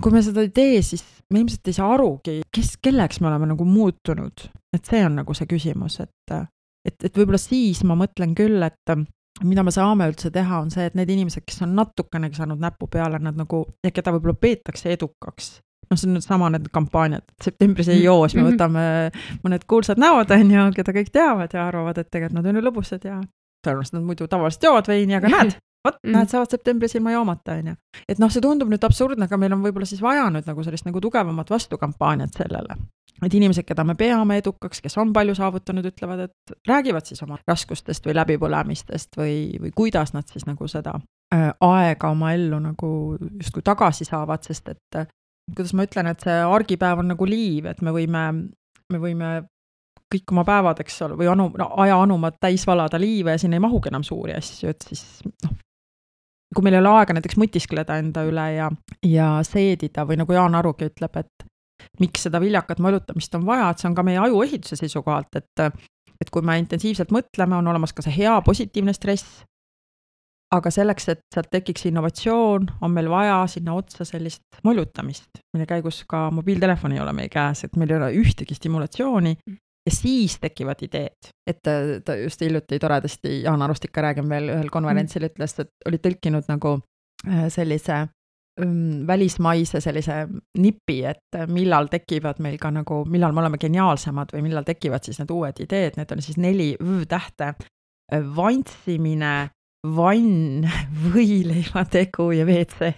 kui me seda ei tee, siis me ilmselt ei saa arugi, kelleks me oleme nagu muutunud. Et see on nagu see küsimus, et võib-olla siis ma mõtlen küll, et mida me saame üldse teha, on see, et need inimesed, kes on natukenegi saanud näpu peale, nad nagu, ja keda võib-olla peetakse edukaks. See on nüüd sama need kampaaniad, et septembris ei joos, me võtame mõned kuulsad näod, keda kõik teavad ja arvavad, et tegelikult nad on ju lõbusad ja tõenäoliselt nad muidu tavaliselt joovad veini, aga näed, saavad septembris ilma joomata, Et see tundub nüüd absurdne, aga meil on võib-olla siis vaja nüüd nagu sellist nagu tugevamat vastukampaaniat sellele. Et inimesed, keda me peame edukaks, kes on palju saavutanud, ütlevad, et räägivad siis oma raskustest või läbipõlemistest või kuidas nad siis nagu seda aega oma ellu nagu justkui tagasi saavad, sest et kuidas ma ütlen, et see argipäev on nagu liiv, et me võime kõik oma päevad, eks ole, või aja anumad täis valada liive ja siin ei mahugi enam suuri asju, et siis kui meil ei ole aega näiteks mõtiskleda enda üle ja seedida või nagu Jaan Arugi ütleb, et miks seda viljakat mõjutamist on vaja, et see on ka meie aju ehituse seisukohalt, et kui me intensiivselt mõtleme, on olemas ka see hea positiivne stress, aga selleks, et sealt tekiks innovatsioon, on meil vaja sinna otsa sellist mõjutamist, mille käigus ka mobiiltelefon ei ole meie käes, et meil ei ole ühtegi stimulatsiooni ja siis tekivad ideed. Et ta just hiljuti toredasti, Jaan Arust ikka räägin veel ühel konverentsil ütles, et oli tõlkinud nagu sellise välismaise sellise nipi, et millal tekivad meil ka nagu, millal me oleme geniaalsemad või millal tekivad siis need uued ideed, need on siis 4 tähte, vantsimine, vann, võileivategu ja WC.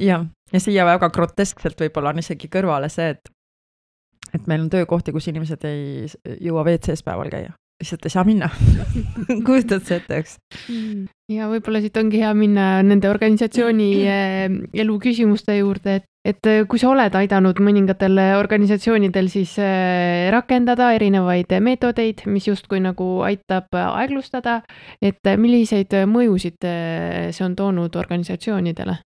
ja siia väga groteskselt võib-olla on isegi kõrvale see, et meil on töökohti, kus inimesed ei jõua WC-s päeval käia. Lihtsalt ei saa minna. Kujutad see ette, eks? Ja võib-olla siit ongi hea minna nende organisatsiooni elu küsimuste juurde, et kui sa oled aidanud mõningatel organisatsioonidel siis rakendada erinevaid meetodeid, mis justkui nagu aitab aeglustada, et milliseid mõjusid see on toonud organisatsioonidele?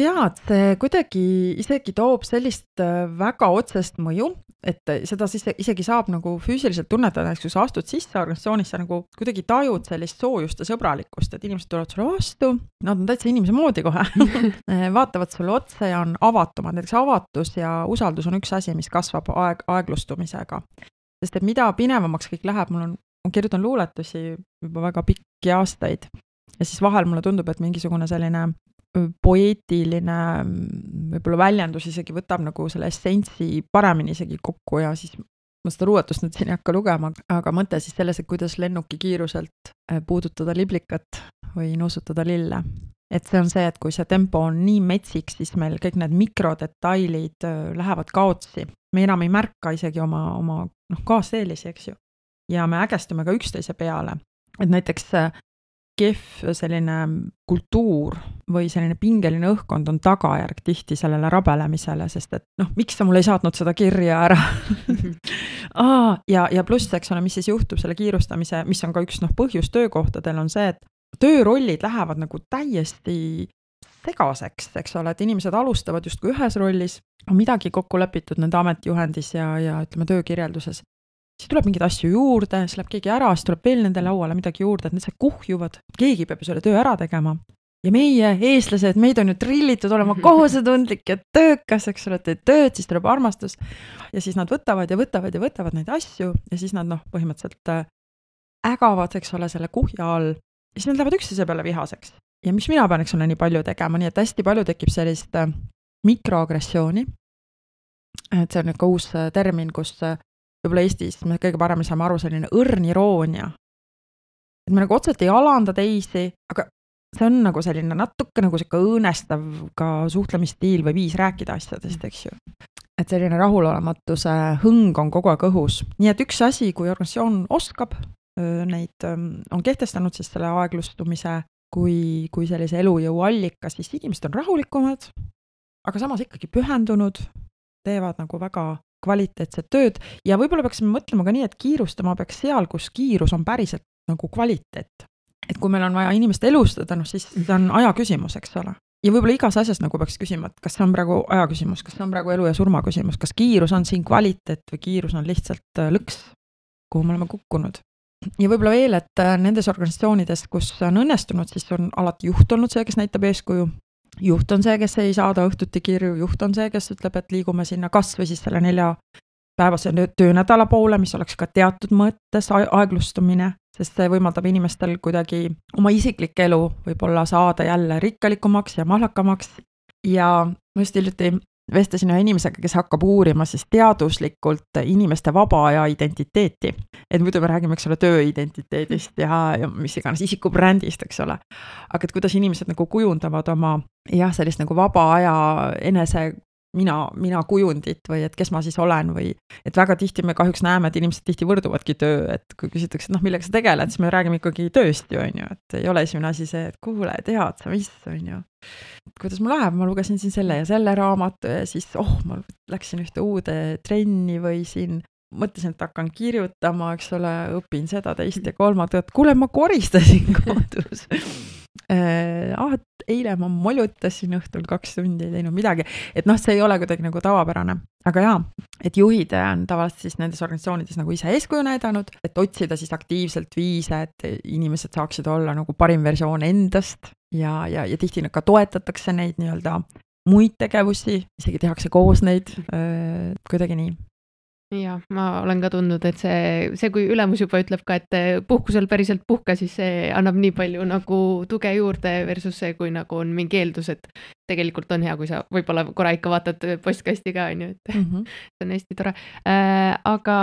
Tead, see kuidagi isegi toob sellist väga otsest mõju, et seda siis isegi saab nagu füüsiliselt tunnetada, kui sa astud sisse organisatsioonisse, nagu kuidagi tajud sellist soojust ja sõbralikkust, et inimesed tulevad sulle vastu, nad on täitsa inimese moodi kohe, vaatavad sulle otsa ja on avatumad, näiteks avatus ja usaldus on üks asi, mis kasvab aeglustumisega. Sest et mida pinevamaks kõik läheb, ma kirjutan luuletusi juba väga pikki aastaid ja siis vahel mulle tundub, et mingisugune selline poeetiline võib-olla väljendus isegi võtab nagu selle essentsi paremini isegi kokku ja siis ma seda luuletust nüüd siin ei hakka lugema, aga mõte siis selles, et kuidas lennuki kiiruselt puudutada liblikat või nuusutada lille. Et see on see, et kui see tempo on nii metsik, siis meil kõik need mikrodetailid lähevad kaotsi. Me enam ei märka isegi oma kaasteelisi, eks ju. Ja me ägestume ka üksteise peale. Et näiteks kehv selline kultuur või selline pingeline õhkkond on tagajärg tihti sellele rabelemisele, sest et miks sa mulle ei saatnud seda kirja ära? ja pluss, eks ole, mis siis juhtub selle kiirustamise, mis on ka üks põhjus töökohtadel on see, et töörollid lähevad nagu täiesti segaseks, eks ole, et inimesed alustavad justkui ühes rollis, on midagi kokku lepitud nende ametijuhendis ja ütleme töökirjelduses. Siis tuleb mingeid asju juurde, siis läheb keegi ära, siis tuleb veel nende lauale midagi juurde, et need kuhjuvad, keegi peab selle töö ära tegema. Ja meie, eestlased, meid on ju trillitud olema kohusetundlik ja töökas, eks ole, et tööd, siis tuleb armastus. Ja siis nad võtavad neid asju ja siis nad põhimõtteliselt ägavad, eks ole, selle kuhja all. Ja siis nad lähevad üksteise peale vihaseks. Ja mis mina pean, eks ole, nii palju tegema, nii et hästi palju tekib sellist mikroagressiooni. Et see on ka uus termin, kus võib-olla Eestis me kõige paremini saame aru selline õrn iroonia. Et me nagu otseselt ei alanda teisi, aga see on nagu selline natuke nagu sihuke õõnestav ka suhtlemisstiil või viis rääkida asjadest, eks ju. Et selline rahulolematuse hõng on kogu aeg õhus. Nii et üks asi, kui organisatsioon oskab, neid on kehtestanud siis selle aeglustumise kui sellise elujõu allika, siis inimesed on rahulikumad, aga samas ikkagi pühendunud, teevad nagu väga kvaliteetset tööd ja võib-olla peaksime mõtlema ka nii, et kiirustama peaks seal, kus kiirus on päriselt nagu kvaliteet. Et kui meil on vaja inimest elustada, no siis see on aja küsimus, eks ole. Ja võib-olla igas asjas nagu peaks küsima, et kas see on praegu aja küsimus, kas see on praegu elu ja surma küsimus, kas kiirus on siin kvaliteet või kiirus on lihtsalt lõks, kuhu me oleme kukkunud. Ja võib-olla veel, et nendes organisatsioonides, kus on õnnestunud, siis on alati juht olnud see, kes näitab eeskuju. Juht on see, kes ei saada õhtuti kirju, juht on see, kes ütleb, et liigume sinna kas või siis selle 4-päevase töönädala poole, mis oleks ka teatud mõttes aeglustumine, sest see võimaldab inimestel kuidagi oma isiklik elu võib-olla saada jälle rikkalikumaks ja mahlakamaks. Ja ma just hiljuti vestlesin ühe inimesega, kes hakkab uurima siis teaduslikult inimeste vaba aja identiteeti. Et muidu me räägime, eks ole, tööidentiteedist ja mis iganes isikubrändist, eks ole. Aga et kuidas inimesed nagu kujundavad oma sellist nagu vaba aja enese mina kujundit või et kes ma siis olen või et väga tihti me kahjuks näeme, et inimesed tihti võrduvadki töö, et kui küsitakse, et millega sa tegeled, siis me räägime ikkagi tööst ju, on ju, et ei ole esimene asi see, et kuule, tead sa, mis on ju, kuidas mul läheb, ma lugesin siin selle ja selle raamatu ja siis ma läksin ühte uude trenni või siin mõtlesin, et hakkan kirjutama, eks ole, õpin seda, teist ja kolmandat, et kuule, ma koristasin kodus. Eile ma molutasin õhtul 2 tundi, ei teinud midagi, et see ei ole kuidagi nagu tavapärane, aga et juhid on tavaliselt siis nendes organisatsioonides nagu ise eeskuju näidanud, et otsida siis aktiivselt viise, et inimesed saaksid olla nagu parim versioon endast ja tihti ka toetatakse neid nii-öelda muid tegevusi, isegi tehakse koos neid kuidagi nii. Ja ma olen ka tundnud, et see kui ülemus juba ütleb ka, et puhkusel päriselt puhka, siis see annab nii palju nagu tuge juurde versus see, kui nagu on mingi eeldus, et tegelikult on hea, kui sa võib-olla korra ikka vaatad postkasti ka, on ju, et see on hästi tore. Aga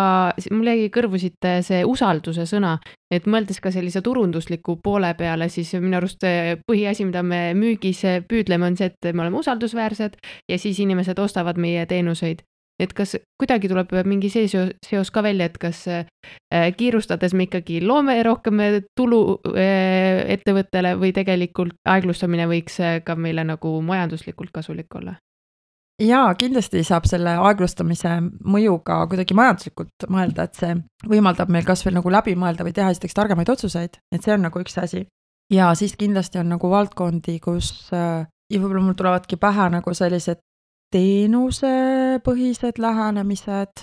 mul jäi kõrvu siit see usalduse sõna, et mõeldes ka sellise turundusliku poole peale, siis minu arust põhiasi, mida me müügis püüdleme, on see, et me oleme usaldusväärsed ja siis inimesed ostavad meie teenuseid. Et kas kuidagi tuleb mingi seos ka välja, et kas kiirustades me ikkagi loome rohkem tulu ettevõttele või tegelikult aeglustamine võiks ka meile nagu majanduslikult kasulik olla? Jaa, kindlasti saab selle aeglustamise mõjuga kuidagi majanduslikult mõelda, et see võimaldab meil kas veel nagu läbi mõelda või teha esiteks targemaid otsuseid, et see on nagu üks asi. Ja siis kindlasti on nagu valdkondi, kus ja võib-olla mul tulevadki pähe nagu sellised teenusepõhised lähenemised.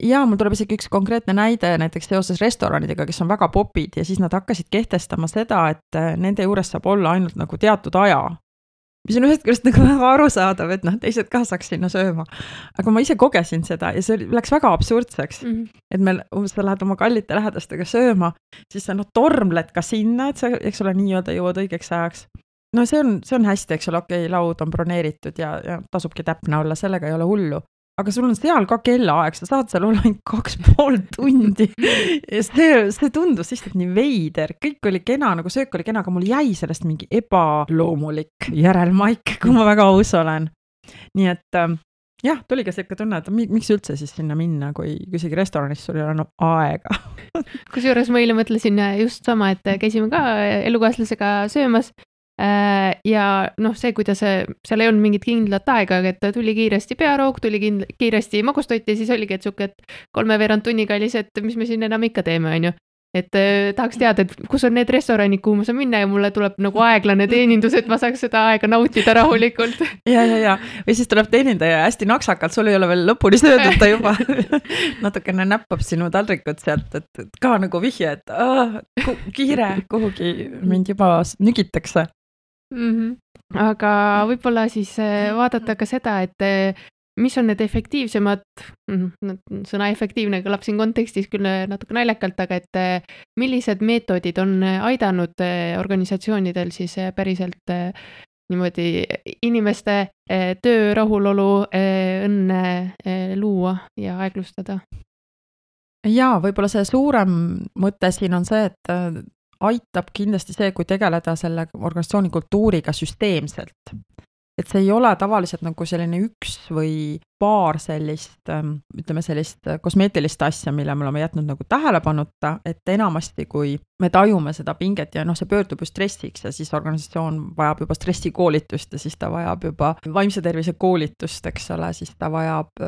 Ja mul tuleb isegi üks konkreetne näide näiteks seoses restoranidega, kes on väga popid ja siis nad hakkasid kehtestama seda, et nende juures saab olla ainult nagu teatud aja. Mis on ühest küljest nagu väga arusaadav, et teised ka saaks sinna sööma. Aga ma ise kogesin seda ja see läks väga absurdseks. Et sa lähed oma kallite lähedastega sööma, siis sa tormled ka sinna, et sa, eks ole, nii-öelda jõuad õigeks ajaks. No see on hästi, eks ole, okei, laud on broneeritud ja tasubki täpne olla, sellega ei ole hullu. Aga sul on seal ka kellaaeg, sa saad seal olla 2,5 tundi. Ja see tundus lihtsalt nii veider, kõik oli kena, nagu söök oli kena, aga mul jäi sellest mingi ebaloomulik järelmaik, kui ma väga aus olen. Nii et tuli ka selline tunne, et miks üldse siis sinna minna, kui isegi restoranis sul ei ole aega. Kusjuures ma eile mõtlesin just sama, et käisime ka elukaaslasega söömas. Ja see, kuidas seal ei olnud mingit kindlat aega, et tuli kiiresti pearoog, tuli kiiresti magustot ja siis oligi, et suke, et 3/4 tunniga oli see, et mis me siin enam ikka teeme, on ju. Et tahaks teada, et kus on need restoranid, kuhu ma saan minna ja mulle tuleb nagu aeglane teenindus, et ma saaks seda aega nautida rahulikult. Ja. Või siis tuleb teenindaja hästi naksakalt, sul ei ole veel lõpuni söödud, ta juba natukene näppab sinu taldrikut sealt, et ka nagu vihje, et kiire kuhugi mind juba nügitakse. Aga võib-olla siis vaadata ka seda, et mis on need efektiivsemad, sõna efektiivne kõlab siin kontekstis küll natuke naljakalt, aga et millised meetodid on aidanud organisatsioonidel siis päriselt niimoodi inimeste töö rahulolu õnne luua ja aeglustada? Ja võib-olla see suurem mõte siin on see, et aitab kindlasti see, kui tegeleda selle organisatsiooni kultuuriga süsteemselt. Et see ei ole tavaliselt nagu selline üks või paar sellist, ütleme sellist kosmeetilist asja, mille me oleme jätnud nagu tähelepanuta, et enamasti, kui me tajume seda pinget ja see pöördub ju stressiks ja siis organisatsioon vajab juba stressikoolitust ja siis ta vajab juba vaimse tervise koolitust, eks ole, siis ta vajab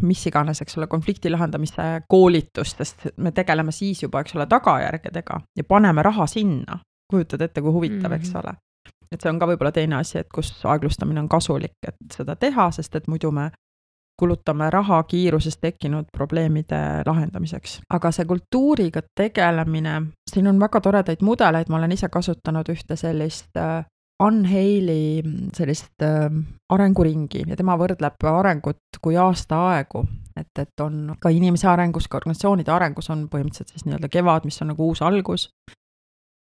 mis iganes, eks ole, konflikti lahendamise koolitust, sest me tegeleme siis juba, eks ole, tagajärgedega ja paneme raha sinna. Kujutad ette, kui huvitav, eks ole. Et see on ka võib-olla teine asi, et kus aeglustamine on kasulik, et seda teha, sest et muidu me kulutame raha kiiruses tekkinud probleemide lahendamiseks. Aga see kultuuriga tegelemine, siin on väga toredaid mudeleid, ma olen ise kasutanud ühte sellist Unheili sellist arenguringi ja tema võrdleb arengut kui aastaaegu, et on ka inimese arengus, ka organisatsioonide arengus on põhimõtteliselt siis nii-öelda kevad, mis on nagu uus algus.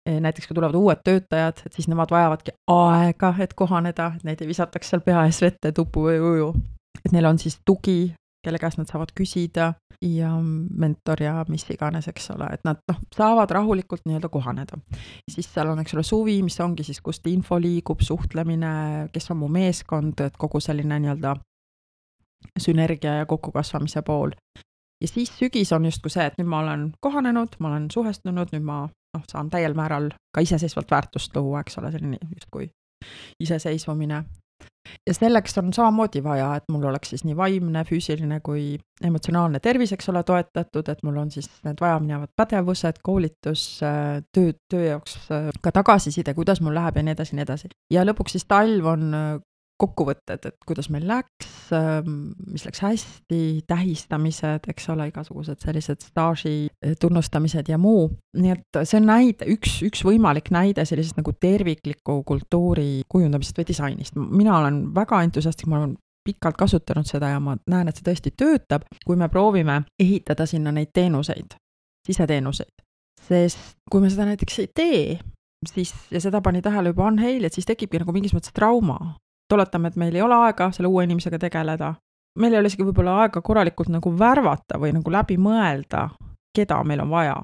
Näiteks kui tulevad uued töötajad, et siis nemad vajavadki aega, et kohaneda, et neid ei visataks seal pea ees vette, tupu või uju. Et neil on siis tugi, kelle käest nad saavad küsida ja mentor ja mis iganes, eks ole, et nad saavad rahulikult nii-öelda kohaneda. Siis seal on, eks ole, suvi, mis ongi siis, kust info liigub, suhtlemine, kes on mu meeskond, et kogu selline nii-öelda sünergia ja kokkukasvamise pool. Ja siis sügis on justkui see, et nüüd ma olen kohanenud, ma olen suhestunud, nüüd ma saan täiel määral ka iseseisvalt väärtust luua, eks ole, selline justkui iseseisvumine. Ja selleks on samamoodi vaja, et mul oleks siis nii vaimne, füüsiline kui emotsionaalne tervis, eks ole, toetatud, et mul on siis need vajaminevad pädevused, koolitus, töö jaoks ka tagasiside, kuidas mul läheb ja nii edasi, nii edasi. Ja lõpuks siis talv on kokkuvõtted, et kuidas meil läks, mis läks hästi, tähistamised, eks ole, igasugused sellised staaži tunnustamised ja muu. Nii et see on näide, üks võimalik näide sellisest nagu tervikliku kultuuri kujundamisest või disainist. Mina olen väga entusiastik, ma olen pikalt kasutanud seda ja ma näen, et see tõesti töötab, kui me proovime ehitada sinna neid teenuseid, siseteenuseid. Sest kui me seda näiteks ei tee, siis, ja seda pani tähele juba Unheil, et siis tekibki nagu mingis mõttes trauma. Toletame, et meil ei ole aega selle uue inimesega tegeleda. Meil ei ole isegi võib-olla aega korralikult nagu värvata või nagu läbi mõelda, keda meil on vaja.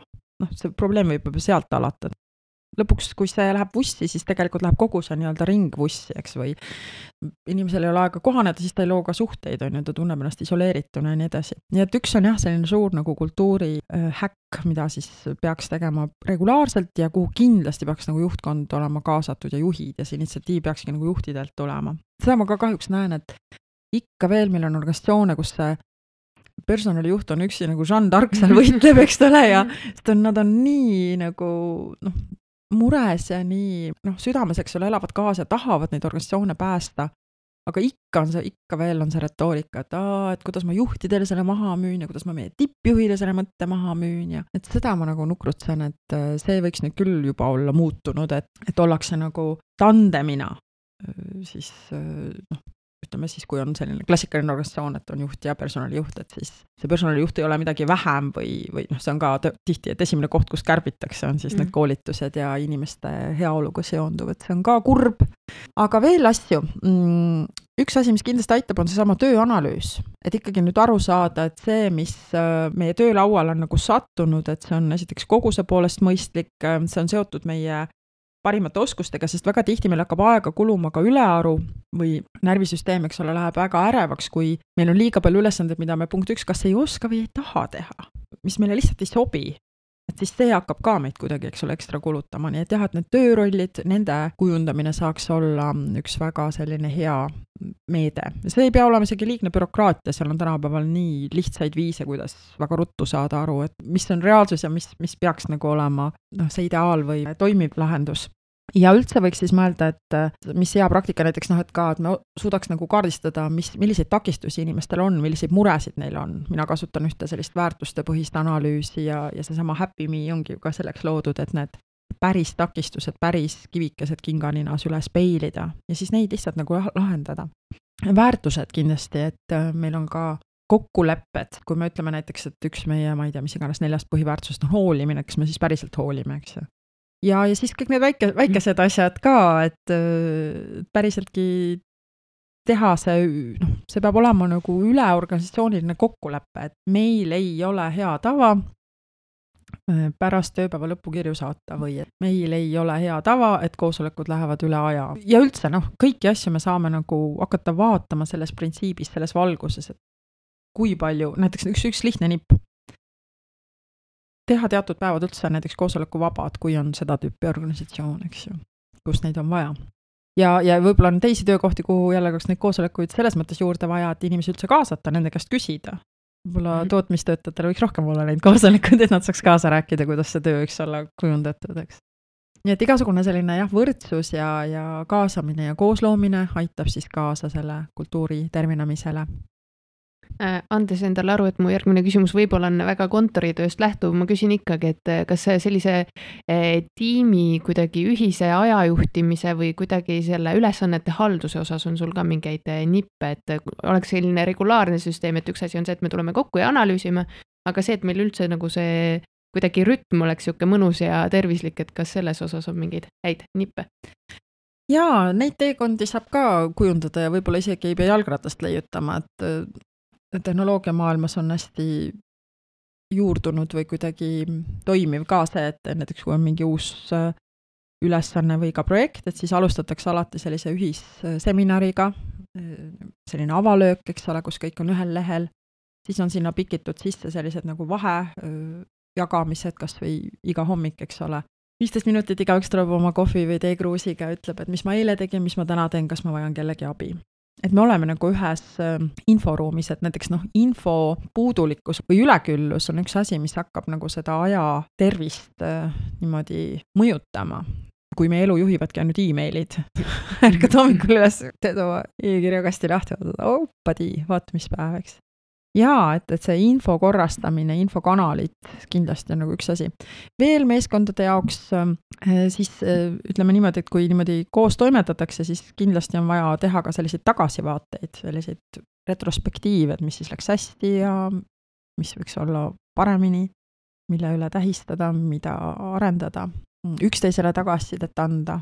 See probleem võib sealt alata. Lõpuks, kui see läheb vussi, siis tegelikult läheb kogu see nii-öelda ring vussi, eks, või inimesel ei ole aega kohaneda, siis ta ei loo ka suhteid, ta tunneb ennast isoleerituna ja nii edasi. Nii et üks on jah, selline suur nagu kultuuri häkk, mida siis peaks tegema regulaarselt ja kuhu kindlasti peaks nagu juhtkond olema kaasatud ja juhid ja see initsiatiiv peakski nagu juhtidelt tulema. Seda ma ka kahjuks näen, et ikka veel meil on organisatsioone, kus see personalijuht on üksi nagu Jeanne d'Arc seal võitleb, eks ole, ja nad on nii nagu mures ja nii südames, eks ole, elavad kaasa ja tahavad neid organisatsioone päästa, aga ikka veel on see retoorika, et kuidas ma juhtidele selle maha müün ja kuidas ma meie tippjuhile selle mõtte maha müün ja et seda ma nagu nukrutsen, et see võiks nüüd küll juba olla muutunud, et ollakse nagu tandemina siis ütleme siis, kui on selline klassikaline organisatsioon, et on juht ja personalijuht, et siis see personalijuht ei ole midagi vähem või see on ka tihti, et esimene koht, kus kärbitakse, on siis need koolitused ja inimeste heaoluga seonduv, et see on ka kurb. Aga veel asju. Üks asi, mis kindlasti aitab, on seesama tööanalüüs. Et ikkagi nüüd aru saada, et see, mis meie töölaual on nagu sattunud, et see on esiteks koguse poolest mõistlik, see on seotud meie parimate oskustega, sest väga tihti meil hakkab aega kuluma ka ülearu või närvisüsteem, eks ole, läheb väga ärevaks, kui meil on liiga palju ülesanded, mida me punkt 1 kas ei oska või ei taha teha, mis meile lihtsalt ei sobi. Et siis see hakkab ka meid kuidagi, eks ole, ekstra kulutama, nii et jah, et need töörollid, nende kujundamine saaks olla üks väga selline hea meede. See ei pea olema isegi liigne bürokraatia, seal on tänapäeval nii lihtsaid viise, kuidas väga ruttu saada aru, et mis on reaalsus ja mis peaks nagu olema see ideaal või toimiv lahendus. Ja üldse võiks siis mõelda, et mis hea praktika näiteks, et ka, et me suudaks nagu kaardistada, milliseid takistusi inimestel on, milliseid muresid neil on. Mina kasutan ühte sellist väärtuste põhist analüüsi ja seesama Happy Me ongi ka selleks loodud, et need päris takistused, päris kivikesed kinganinas üles peilida ja siis neid lihtsalt nagu lahendada. Väärtused kindlasti, et meil on ka kokkulepped, kui me ütleme näiteks, et üks meie, ma ei tea, mis iganes 4 põhiväärtusest on hoolimine, kas me siis päriselt hoolime, eks ju. Ja siis kõik need väikesed asjad ka, et päriseltki teha see peab olema nagu üleorganisatsiooniline kokkulepe, et meil ei ole hea tava pärast tööpäeva lõpukirju saata või et meil ei ole hea tava, et koosolekud lähevad üle aja. Ja üldse kõiki asju me saame nagu hakata vaatama selles printsiibis, selles valguses, et kui palju, näiteks üks lihtne nipp. Teha teatud päevad üldse näiteks koosoleku vabad, kui on seda tüüpi organisatsioon, eks ju, kus neid on vaja. Ja võib-olla on teisi töökohti, kuhu jälle neid koosolekuid selles mõttes juurde vaja, et inimesi üldse kaasata, nende käest küsida. Võib-olla tootmistöötajatel võiks rohkem olla neid koosolekuid, et nad saaks kaasa rääkida, kuidas see töö võiks olla kujundatud, eks. Nii et igasugune selline võrdsus ja kaasamine ja koosloomine aitab siis kaasa selle kultuuri terminamisele. Andes endale aru, et mu järgmine küsimus võib-olla on väga kontoritööst lähtuv, ma küsin ikkagi, et kas sellise tiimi kuidagi ühise ajajuhtimise või kuidagi selle ülesannete halduse osas on sul ka mingeid nippe, et oleks selline regulaarne süsteem, et üks asi on see, et me tuleme kokku ja analüüsime, aga see, et meil üldse nagu see kuidagi rütm oleks siuke mõnus ja tervislik, et kas selles osas on mingeid häid nippe? Jaa, neid teekondi saab ka kujundada ja võib-olla isegi ei pea jalgratast leiutama, et tehnoloogia maailmas on hästi juurdunud või kuidagi toimiv ka see, et näiteks kui on mingi uus ülesanne või ka projekt, et siis alustatakse alati sellise ühisseminariga, selline avalöök, eks ole, kus kõik on ühel lehel, siis on sinna pikitud sisse sellised nagu vahe jagamised, kas või iga hommik, eks ole. 15 minutit igaüks tuleb oma kohvi või teekruusiga ja ütleb, et mis ma eile tegin, mis ma täna teen, kas ma vajan kellegi abi. Et me oleme nagu ühes inforuumis, et näiteks info puudulikkus või üleküllus on üks asi, mis hakkab nagu seda aja tervist niimoodi mõjutama. Kui meie elu juhivadki ainult e-mailid, ärkad hommikul üles, teed oma e-kirjakasti lahti, vaata mis päev, eks. Jaa, et see info korrastamine, infokanalid kindlasti on nagu üks asi. Veel meeskondade jaoks siis ütleme niimoodi, et kui niimoodi koos toimetatakse, siis kindlasti on vaja teha ka selliseid tagasivaateid, selliseid retrospektiive, mis siis läks hästi ja mis võiks olla paremini, mille üle tähistada, mida arendada, üksteisele tagasisidet anda.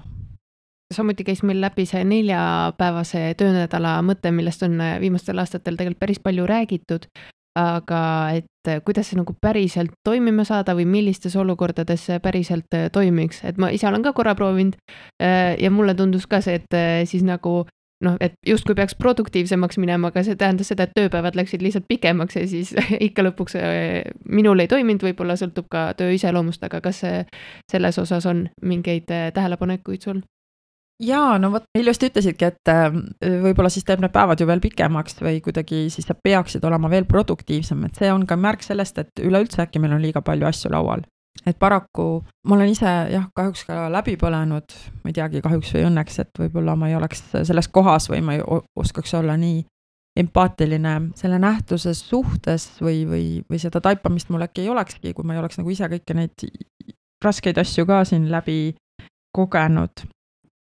Samuti käis meil läbi see 4-päevase töönädala mõte, millest on viimastel aastatel tegelikult päris palju räägitud, aga et kuidas see nagu päriselt toimima saada või millistes olukordades see päriselt toimiks, et ma ise olen ka korra proovinud ja mulle tundus ka see, et siis nagu et justkui peaks produktiivsemaks minema, aga see tähendas seda, et tööpäevad läksid lihtsalt pikemaks ja siis ikka lõpuks minul ei toiminud, võib-olla sõltub ka töö iseloomust, aga kas selles osas on mingeid tähelepanekuid sul? Jaa, vot ilusti ütlesidki, et võib-olla siis teeb need päevad ju veel pikemaks või kuidagi siis sa peaksid olema veel produktiivsem, et see on ka märk sellest, et üleüldse äkki meil on liiga palju asju laual. Et paraku ma olen ise kahjuks ka läbi põlenud, ma ei teagi kahjuks või õnneks, et võib-olla ma ei oleks selles kohas või ma ei oskaks olla nii empaatiline selle nähtuse suhtes või seda taipamist mul äkki ei olekski, kui ma ei oleks nagu ise kõiki neid raskeid asju ka siin läbi kogenud.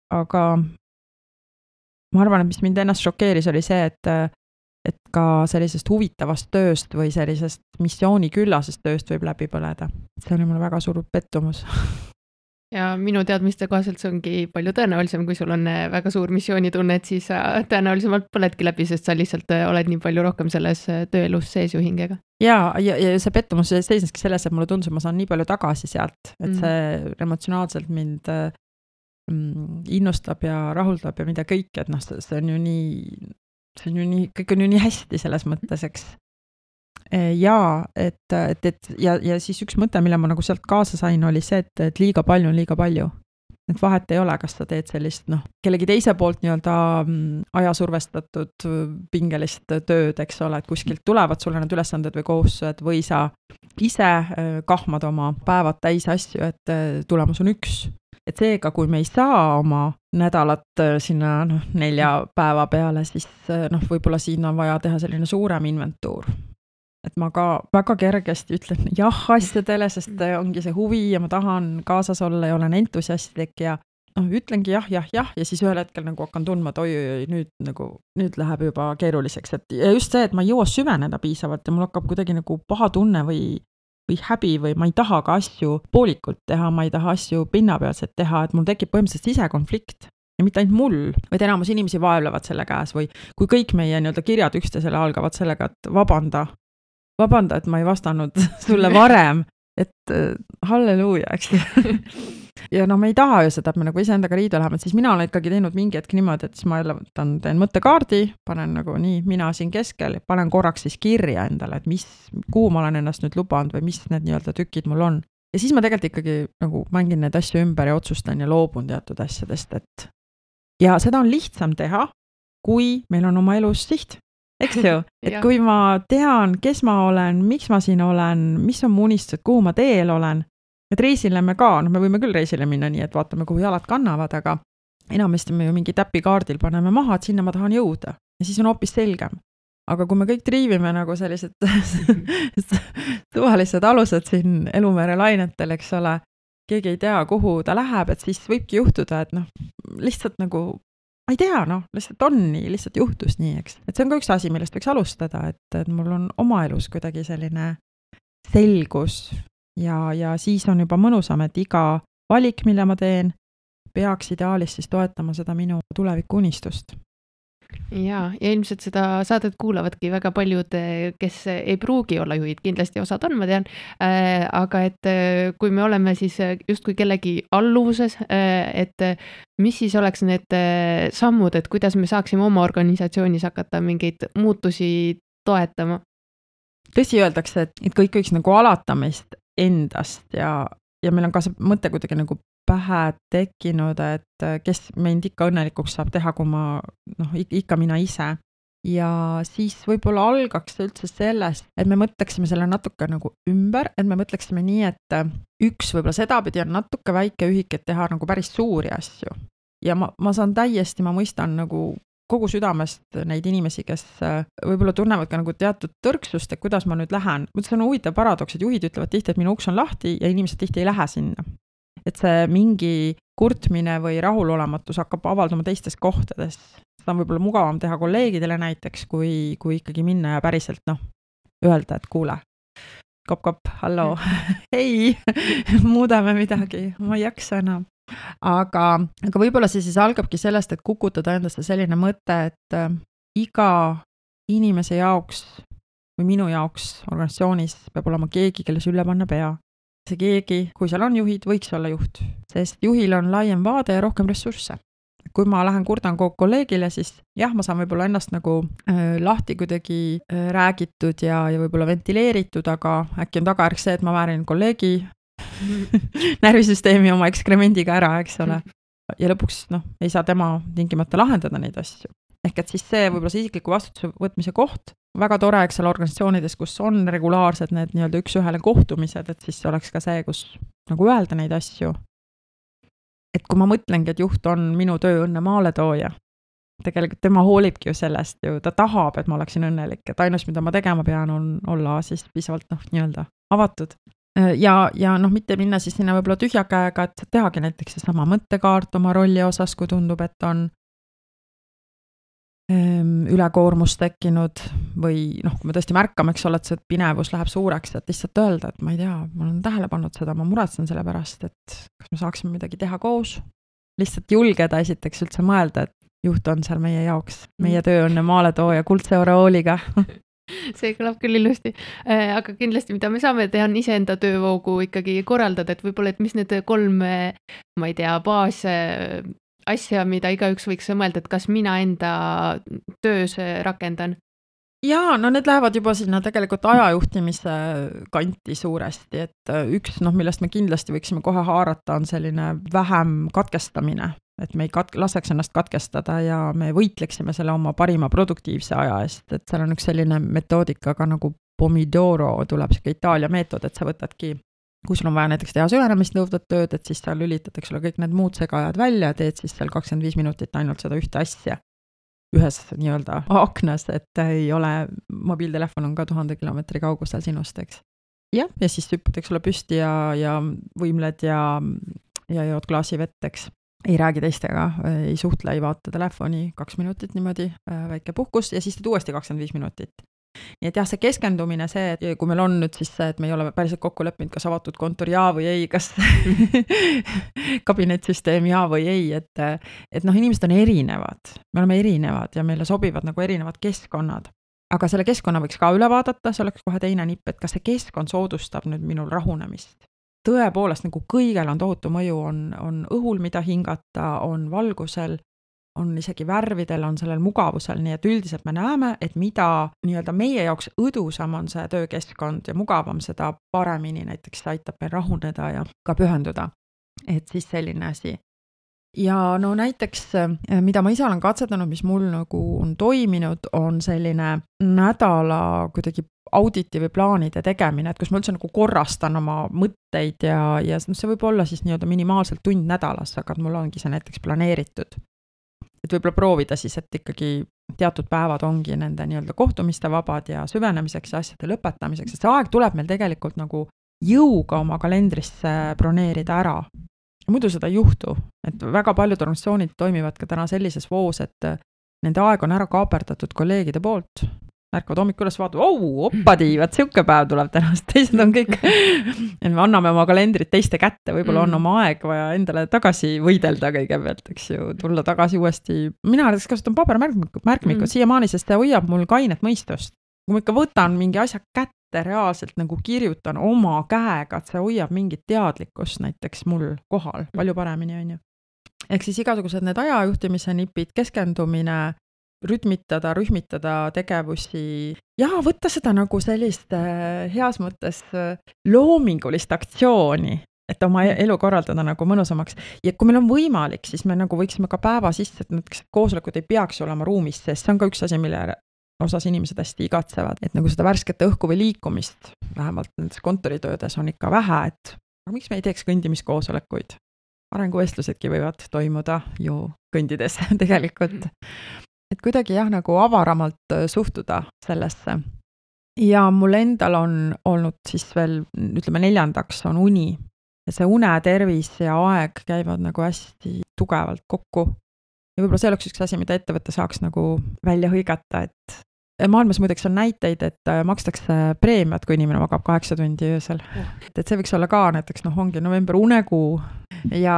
Aga ma arvan, et mis mind ennast šokeeris, oli see, et ka sellisest huvitavast tööst või sellisest missiooniküllasest tööst võib läbi põleda. See oli mulle väga suur pettumus. Ja minu teadmiste kohaselt see ongi palju tõenäolisem, kui sul on väga suur missioonitunne, et siis tõenäolisemalt põledki läbi, sest sa lihtsalt oled nii palju rohkem selles tööelus sees ju hingega. Ja see pettumus seisneski selles, et mulle tundus, et ma saan nii palju tagasi sealt, et see emotsionaalselt mind innustab ja rahuldab ja mida kõik, et see on ju nii, kõik on ju nii hästi selles mõttes, eks. Ja siis üks mõte, mille ma nagu sealt kaasa sain, oli see, et liiga palju on liiga palju. Et vahet ei ole, kas sa teed sellist, kellegi teise poolt nii-öelda ajasurvestatud pingelist tööd, eks ole, et kuskilt tulevad sulle need ülesanded või kohustused või sa ise kahmad oma päevad täis asju, et tulemus on üks. Et seega, kui me ei saa oma nädalat sinna 4 päeva peale, siis võib-olla siin on vaja teha selline suurem inventuur. Et ma ka väga kergesti ütlen jah asjadele, sest ongi see huvi ja ma tahan kaasas olla ja olen entusiastlik ja ütlengi jah ja siis ühel hetkel nagu hakkan tundma, et oi, nüüd läheb juba keeruliseks. Ja just see, et ma ei jõua süveneda piisavalt ja mul hakkab kuidagi nagu paha tunne või häbi või ma ei taha ka asju poolikult teha, ma ei taha asju pinnapealselt teha, et mul tekib põhimõtteliselt sisekonflikt. Ja mitte ainult mul, vaid enamus inimesi vaevlevad selle käes või kui kõik meie nii-öelda kirjad üksteisele algavad sellega, et vabanda, et ma ei vastanud sulle varem, et halleluuja, eks. Ja no me ei taha ju seda, et me nagu iseendaga riidu läheme, siis mina olen ikkagi teinud mingi hetk niimoodi, et siis ma jälle teen mõttekaardi, panen nagu nii, mina siin keskel, panen korraks siis kirja endale, et kuhu ma olen ennast nüüd lubanud või mis need nii-öelda tükid mul on. Ja siis ma tegelikult ikkagi nagu mängin need asju ümber ja otsustan ja loobun teatud asjadest, et ja seda on lihtsam teha, kui meil on oma elus siht. Eks ju, et kui ma tean, kes ma olen, miks ma siin olen, mis on mu unistused, kuhu ma teel olen, et reisile me ka, me võime küll reisile minna nii, et vaatame, kuhu jalad kannavad, aga enamasti me ju mingi täpikaardil paneme maha, et sinna ma tahan jõuda ja siis on hoopis selgem. Aga kui me kõik triivime nagu sellised suvalised alused siin elumere lainetel, eks ole, keegi ei tea, kuhu ta läheb, et siis võibki juhtuda, et lihtsalt nagu ma ei tea, lihtsalt on nii, lihtsalt juhtus nii, eks. Et see on ka üks asi, millest võiks alustada, et mul on oma elus kuidagi selline selgus ja siis on juba mõnusam, et iga valik, mille ma teen, peaks ideaalis siis toetama seda minu tuleviku unistust. Ja ilmselt seda saadet kuulavadki väga paljud, kes ei pruugi olla juhid, kindlasti osad on, ma tean, aga et kui me oleme siis justkui kellegi alluvuses, et mis siis oleks need sammud, et kuidas me saaksime oma organisatsioonis hakata mingeid muutusi toetama? Tõsi öeldakse, et kõik võiks nagu alata meist endast ja meil on ka see mõte kuidagi nagu pähe tekkinud, et kes meid ikka õnnelikuks saab teha, kui ma, ikka mina ise. Ja siis võib-olla algaks üldse sellest, et me mõtleksime selle natuke nagu ümber, et me mõtleksime nii, et üks võib-olla sedapidi on natuke väike ühik, et teha nagu päris suuri asju. Ja ma saan täiesti, ma mõistan nagu kogu südamest neid inimesi, kes võib-olla tunnevad ka nagu teatud tõrksust, et kuidas ma nüüd lähen. See on huvitav paradoks, et juhid ütlevad tihti, et minu uks on lahti ja inimesed tihti ei lähe sinna. Et see mingi kurtmine või rahulolematus hakkab avalduma teistes kohtades. Seda on võib-olla mugavam teha kolleegidele näiteks, kui ikkagi minna ja päriselt öelda, et kuule, kop, hallo, hei, muudame midagi, ma ei jaksa enam. Aga võib-olla see siis algabki sellest, et kukutada endasse selline mõte, et iga inimese jaoks või minu jaoks organisatsioonis peab olema keegi, kelle sülle panna pea. See keegi, kui seal on juhid, võiks olla juht, sest juhil on laiem vaade ja rohkem ressursse. Kui ma lähen kurdan kogu kolleegile, siis jah, ma saan võib-olla ennast nagu lahti kuidagi räägitud ja võib-olla ventileeritud, aga äkki on tagajärg see, et ma väärin kolleegi närvisüsteemi oma ekskremendiga ära, eks ole. Ja lõpuks ei saa tema tingimata lahendada neid asju. Ehk et siis see võib-olla see isikliku vastutuse võtmise koht, väga tore, eks seal organisatsioonides, kus on regulaarsed need nii-öelda üks-ühele kohtumised, et siis oleks ka see, kus nagu öelda neid asju. Et kui ma mõtlengi, et juht on minu tööõnne maaletooja, tegelikult tema hoolibki ju sellest ju, ta tahab, et ma oleksin õnnelik, et ainus, mida ma tegema pean, on olla siis piisavalt nii-öelda avatud. Ja mitte minna siis sinna võib-olla tühja käega, et tehagi näiteks seesama mõttekaart oma rolli osas, kui tundub, et on ülekoormus tekkinud või kui me tõesti märkame, eks ole, et see pinevus läheb suureks, et lihtsalt öelda, et ma ei tea, ma olen tähele pannud seda, ma muretsen selle pärast, et kas me saaksime midagi teha koos. Lihtsalt julgeda esiteks üldse mõelda, et juht on seal meie jaoks, meie tööõnne maaletooja kuldse oreooliga. See kõlab küll ilusti, aga kindlasti, mida me saame teha, on iseenda töövoogu ikkagi korraldada, et võib-olla, et mis need 3, ma ei tea, baas asja, mida igaüks võiks mõelda, et kas mina enda töös rakendan? Jaa, need lähevad juba sinna tegelikult ajajuhtimise kanti suuresti, et üks, millest me kindlasti võiksime kohe haarata, on selline vähem katkestamine, et me ei laseks ennast katkestada ja me võitleksime selle oma parima produktiivse aja eest, et seal on üks selline metoodika ka nagu Pomodoro, tuleb see Itaalia meetod, et sa võtadki, kui sul on vaja näiteks teha süvenemist nõudvat tööd, et siis seal lülitad, eks ole, kõik need muud segajad välja ja teed siis seal 25 minutit ainult seda ühte asja ühes nii-öelda aknas, et ei ole, mobiiltelefon on ka 1000 kilomeetri kaugusel sinust, eks. Ja siis hüppad, eks ole, püsti ja võimled ja jood klaasi vett, eks. Ei räägi teistega, ei suhtle, ei vaata telefoni 2 minutit niimoodi, väike puhkus ja siis teed uuesti 25 minutit. Nii et jah, see keskendumine see, et kui meil on nüüd siis see, et me ei ole päriselt kokku leppinud, kas avatud kontor jaa või ei, kas kabinetsüsteem jaa või ei, et inimesed on erinevad, me oleme erinevad ja meile sobivad nagu erinevad keskkonnad. aga selle keskkonna võiks ka üle vaadata, see oleks kohe teine nipp, et kas see keskkond soodustab nüüd minul rahunemist. Tõepoolest nagu kõigel on tohutu mõju, on õhul, mida hingata, on valgusel, on isegi värvidel, on sellel mugavusel, nii et üldiselt me näeme, et mida nii-öelda meie jaoks õdusam on see töökeskkond ja mugavam, seda paremini näiteks aitab meil rahuneda ja ka pühenduda. Et siis selline asi. Ja no näiteks, mida ma ise olen katsetanud, mis mul nagu on toiminud, on selline nädala kuidagi auditi või plaanide tegemine, et kus ma üldse nagu korrastan oma mõtteid ja see võib olla siis nii-öelda minimaalselt tund nädalas, aga mul ongi see näiteks planeeritud. Et võib-olla proovida siis, et ikkagi teatud päevad ongi nende nii-öelda kohtumiste vabad ja süvenemiseks ja asjade lõpetamiseks, et see aeg tuleb meil tegelikult nagu jõuga oma kalendrisse broneerida ära. Muidu seda ei juhtu, et väga paljud organisatsioonid toimivad ka täna sellises voos, et nende aeg on ära kaaperdatud kolleegide poolt. Märkavad hommikul üles vaatavad, oppadi, vaat siuke päev tuleb tänast, teised on kõik. Ja me anname oma kalendrit teiste kätte, võib-olla on oma aeg vaja endale tagasi võidelda kõigepealt, eks ju, tulla tagasi uuesti. Mina näiteks kasutan pabermärkmikud siiamaani, sest see hoiab mul kainet mõistust. Kui ma ikka võtan mingi asja kätte, reaalselt nagu kirjutan oma käega, et see hoiab mingit teadlikkust näiteks mul kohal, palju paremini on ju. Ehk siis igasugused need ajajuhtimise nipid, keskendumine, rühmitada tegevusi ja võtta seda nagu sellist heas mõttes loomingulist aktsiooni, et oma elu korraldada nagu mõnusamaks. Ja kui meil on võimalik, siis me nagu võiksime ka päeva sisse, et näiteks koosolekud ei peaks olema ruumis, sest see on ka üks asi, mille osas inimesed hästi igatsevad, et nagu seda värsket õhku või liikumist, vähemalt nendes kontoritöödes on ikka vähe, et aga miks me ei teeks kõndimiskoosolekuid? Arenguvestlusedki võivad toimuda ju kõndides tegelikult. Et kuidagi jah, nagu avaramalt suhtuda sellesse. Ja mul endal on olnud siis veel, ütleme 4. on uni. Ja see une, tervis ja aeg käivad nagu hästi tugevalt kokku. Ja võib-olla see oleks üks asi, mida ettevõte saaks nagu välja hõigata, et maailmas muideks on näiteid, et makstakse preemiat, kui inimene magab 8 tundi öösel. Et see võiks olla ka näiteks, ongi november unekuu ja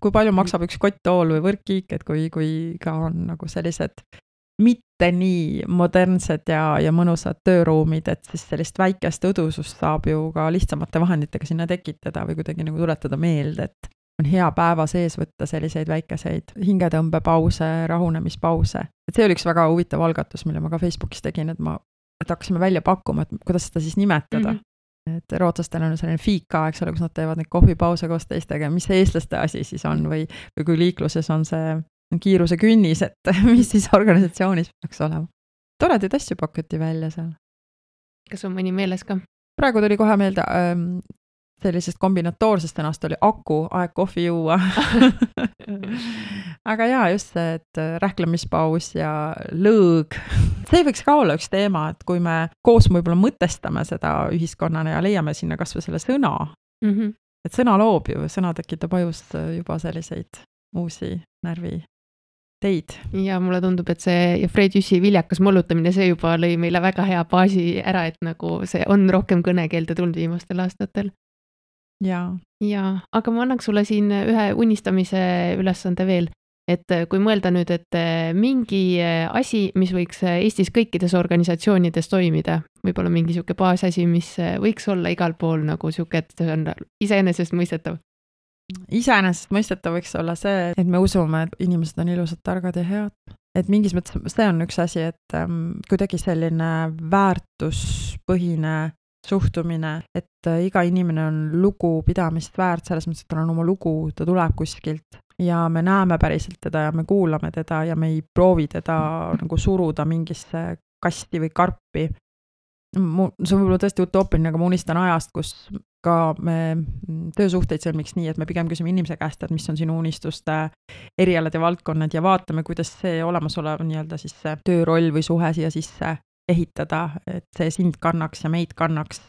kui palju maksab üks kotttool või võrkkiik, et kui ka on nagu sellised mitte nii modernsed ja mõnusad tööruumid, et siis sellist väikest õdusust saab ju ka lihtsamate vahenditega sinna tekitada või kuidagi nagu tuletada meelde, et on hea päeva sees võtta selliseid väikeseid hingetõmbepause, rahunemispause. Et see oli üks väga huvitav algatus, mille ma ka Facebookis tegin, et hakkasime välja pakkuma, et kuidas seda siis nimetada. Et rootslastel on selline fiika, eks ole, kus nad teevad neid kohvipause koos teistega, mis see eestlaste asi siis on või kui liikluses on see kiiruse künnis, et mis siis organisatsioonis peaks olema. Toredaid asju pakuti välja seal. Kas on mõni meeles ka? Praegu tuli kohe meelde sellisest kombinatoorsest ennast oli aku, aeg kohvi juua. Aga jaa, just see, et rähklemispaus ja lõõg. See võiks ka olla üks teema, et kui me koos võib-olla mõtestame seda ühiskonnana ja leiame sinna kas või selle sõna. Et sõna loob ju, sõna tekitab ajus juba selliseid uusi närvi teid. Ja mulle tundub, et see ja Fred Jüssi viljakas mollutamine, see juba lõi meile väga hea baasi ära, et nagu see on rohkem kõnekeelde tulnud viimastel aastatel. Ja, aga ma annaks sulle siin ühe unistamise ülesande veel, et kui mõelda nüüd, et mingi asi, mis võiks Eestis kõikides organisatsioonides toimida, võib-olla mingi siuke baasasi, mis võiks olla igal pool nagu siuke, et see on iseenesest mõistetav. Iseenesest mõistetav võiks olla see, et me usume, et inimesed on ilusad, targad ja head. Et mingis mõttes see on üks asi, et kuidagi selline väärtuspõhine suhtumine, et iga inimene on lugupidamist väärt, selles mõttes, et tal on oma lugu, ta tuleb kuskilt ja me näeme päriselt teda ja me kuulame teda ja me ei proovi teda nagu suruda mingisse kasti või karpi. See on võib-olla tõesti utoopiline, aga ma unistan ajast, kus ka me töösuhteid sõlmiks nii, et me pigem küsime inimese käest, et mis on sinu unistuste erialad ja valdkonnad ja vaatame, kuidas see olemasolev nii-öelda siis see tööroll või suhe siia sisse ehitada, et see sind kannaks ja meid kannaks,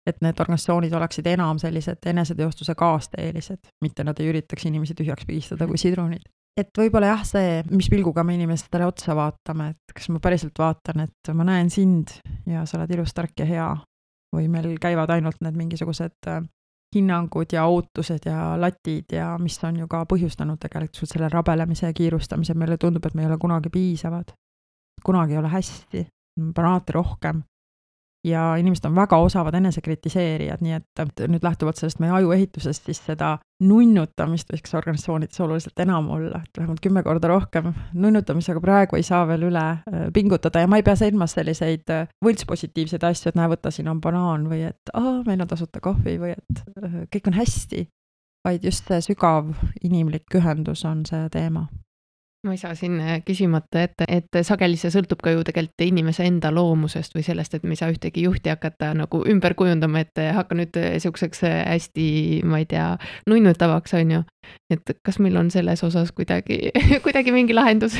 et need organisatsioonid oleksid enam sellised eneseteostuse kaasteelised, mitte nad ei üritaks inimesi tühjaks pigistada kui sidrunid. Et võib-olla jah, see, mis pilguga me inimestele otsa vaatame, et kas ma päriselt vaatan, et ma näen sind ja sa oled ilus, tark ja hea, või meil käivad ainult need mingisugused hinnangud ja ootused ja latid ja mis on ju ka põhjustanud tegelikult selle rabelemise ja kiirustamise, meile tundub, et me ei ole kunagi piisavad, kunagi ei ole hästi. alati rohkem. Ja inimesed on väga osavad enesekritiseerijad, nii et nüüd lähtuvalt sellest meie ajuehitusest, siis seda nunnutamist võiks organisatsioonides oluliselt enam olla, et vähemalt 10 korda rohkem nunnutamisega praegu ei saa veel üle pingutada ja ma ei pea silmas selliseid võltspositiivseid asju, et näe, võta, siin on banaan või et meil on tasuta kohvi või et kõik on hästi, vaid just see sügav inimlik ühendus on see teema. Ma ei saa siin küsimata et sageli see sõltub ka ju tegelikult inimese enda loomusest või sellest, et me ei saa ühtegi juhti hakata nagu ümber kujundama, et hakka nüüd selliseks hästi, ma ei tea, nunnutavaks, on ju. Et kas meil on selles osas kuidagi mingi lahendus?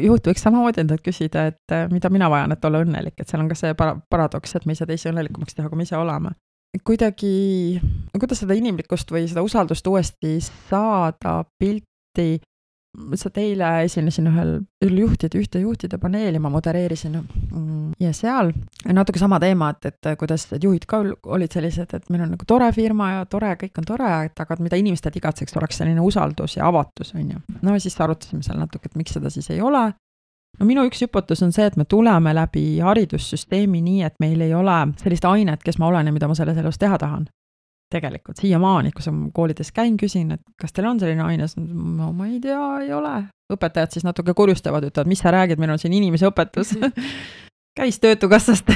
Juht võiks samamoodi endalt küsida, et mida mina vajan, et olla õnnelik, et seal on ka see paradoks, et me ei saa teisi õnnelikumaks teha, kui me ise oleme. Kuidagi, kuidas seda inimlikkust või seda usaldust uuesti saada pilti, sa teile esinesin ühte juhtide paneeli, ma modereerisin ja seal natuke sama teema, et kuidas juhid ka olid sellised, et meil on nagu tore firma ja tore, kõik on tore, aga mida inimesed igatseks oleks selline usaldus ja avatus, on ju. No siis arutasime seal natuke, et miks seda siis ei ole. No minu üks hüpotees on see, et me tuleme läbi haridussüsteemi nii, et meil ei ole sellist ainet, kes ma olen ja mida ma selles elus teha tahan. Tegelikult siiamaani, kui sa koolides käin, küsin, et kas teil on selline aines, no ma ei tea, ei ole. Õpetajad siis natuke kurjustavad, ütlevad, mis sa räägid, meil on siin inimese õpetus. Käis töötukassast,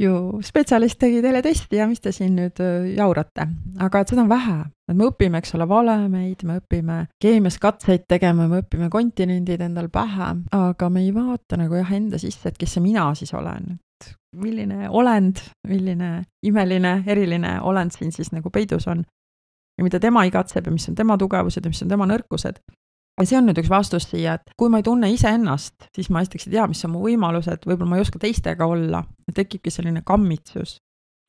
ju spetsialist tegi teile testi ja mis te siin nüüd jaurate. Aga et seda on vähe. Et me õpime, eks ole, valemeid, me õpime keemias katseid tegema, me õpime kontinendid endal pähe, aga me ei vaata nagu enda sisse, et kes see mina siis olen. Milline olend, milline imeline, eriline olend siin siis nagu peidus on ja mida tema igatseb ja mis on tema tugevused ja mis on tema nõrkused. Ja see on nüüd üks vastus siia, et kui ma ei tunne ise ennast, siis ma esiteks ei tea, mis on mu võimalused, võib-olla ma ei oska teistega olla ja tekibki selline kammitsus.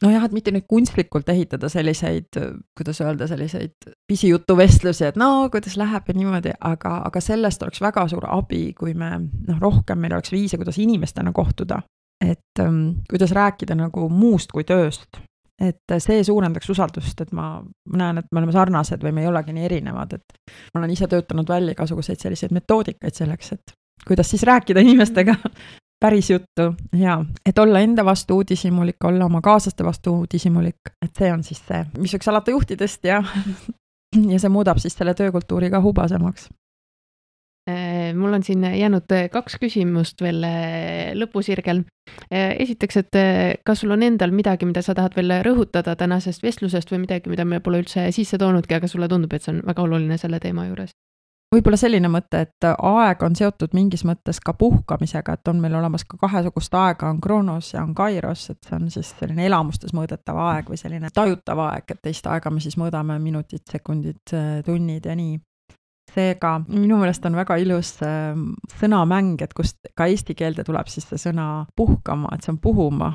No jah, et mitte nüüd kunstlikult ehitada selliseid, kuidas öelda, selliseid pisijutuvestlusi, et no, kuidas läheb ja niimoodi, aga sellest oleks väga suur abi, kui me rohkem meil oleks viise, kuidas inimestena kohtuda. Et kuidas rääkida nagu muust kui tööst, et see suurendaks usaldust, et ma näen, et me oleme sarnased või me ei olegi nii erinevad, et ma olen ise töötanud välja igasuguseid selliseid metoodikaid selleks, et kuidas siis rääkida inimestega päris juttu ja et olla enda vastu uudishimulik, olla oma kaaslaste vastu uudishimulik, et see on siis see, mis võiks alata juhtidest ja see muudab siis selle töökultuuri ka hubasemaks. Mul on siin jäänud 2 küsimust veel lõpusirgel. Esiteks, et kas sul on endal midagi, mida sa tahad veel rõhutada tänasest vestlusest või midagi, mida me pole üldse sisse toonudki, aga sulle tundub, et see on väga oluline selle teema juures? Võib-olla selline mõte, et aeg on seotud mingis mõttes ka puhkamisega, et on meil olemas ka 2 aega, on Kronos ja on Kairos, et see on siis selline elamustes mõõdetav aeg või selline tajutav aeg, et teist aega me siis mõõdame minutid, sekundid, tunnid ja nii. Seega minu meelest on väga ilus sõnamäng, et kust ka eesti keelde tuleb siis see sõna puhkama, et see on puhuma,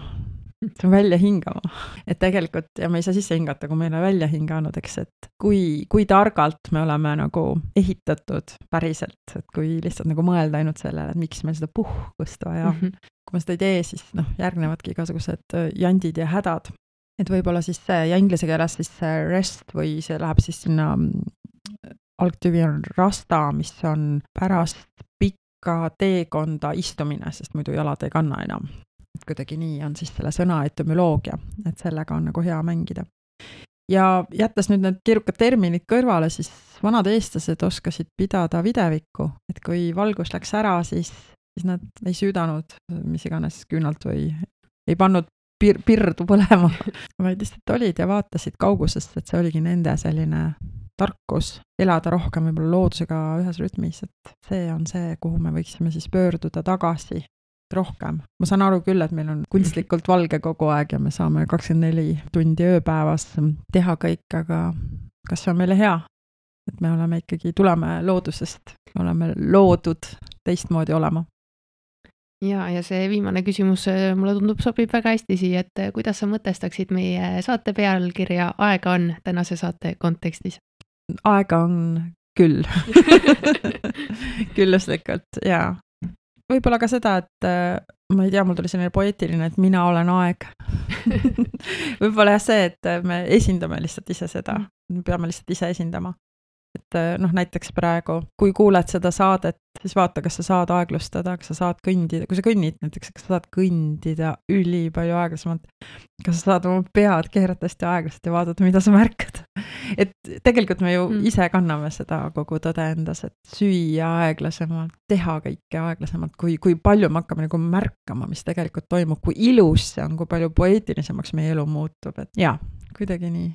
see on välja hingama. Et tegelikult, ja me ei saa sisse hingata, kui me ei ole välja hinganud, eks, et kui targalt me oleme nagu ehitatud päriselt, et kui lihtsalt nagu mõelda ainult sellele, et miks meil seda puhkust vaja. Kui me seda ei tee, siis järgnevadki igasugused jandid ja hädad. Et võib-olla siis see, ja inglise keeles siis see rest või see läheb siis sinna algtüvi on rasta, mis on pärast pikka teekonda istumine, sest muidu jalad ei kanna enam. Et kuidagi nii on siis selle sõna etümoloogia, et sellega on nagu hea mängida. Ja jättes nüüd need keerukad terminid kõrvale, siis vanad eestlased oskasid pidada videvikku, et kui valgus läks ära, siis nad ei süüdanud mis iganes küünalt või ei pannud pirdu põlema, vaid lihtsalt olid ja vaatasid kaugusest, et see oligi nende selline tarkus elada rohkem võib-olla loodusega ühes rütmis, et see on see, kuhu me võiksime siis pöörduda tagasi rohkem. Ma saan aru küll, et meil on kunstlikult valge kogu aeg ja me saame 24 tundi ööpäevas teha kõik, aga kas see on meile hea? Et me oleme ikkagi, tuleme loodusest, oleme loodud teistmoodi olema. Ja see viimane küsimus mulle tundub sobib väga hästi siia, et kuidas sa mõtestaksid meie saate pealkirja Aega on tänase saate kontekstis? Aega on küll. Külluslikult, jaa. Võib-olla ka seda, et ma ei tea, mul tuli selline poeetiline, et mina olen aeg. Võib-olla jah see, et me esindame lihtsalt ise seda. Me peame lihtsalt ise esindama. et näiteks praegu, kui kuuled seda saadet, siis vaata, kas sa saad aeglustada, kas sa saad kõndida, kui sa kõnnid näiteks, kas sa saad kõndida ülipalju aeglasemalt, kas sa saad oma pead keerata hästi aeglaselt ja vaadata, mida sa märkad. Et tegelikult me ju ise kanname seda kogu tõde endas, et süüa aeglasemalt, teha kõike aeglasemalt, kui palju me hakkame nagu märkama, mis tegelikult toimub, kui ilus see on, kui palju poeetilisemaks meie elu muutub, et jaa, kuidagi nii.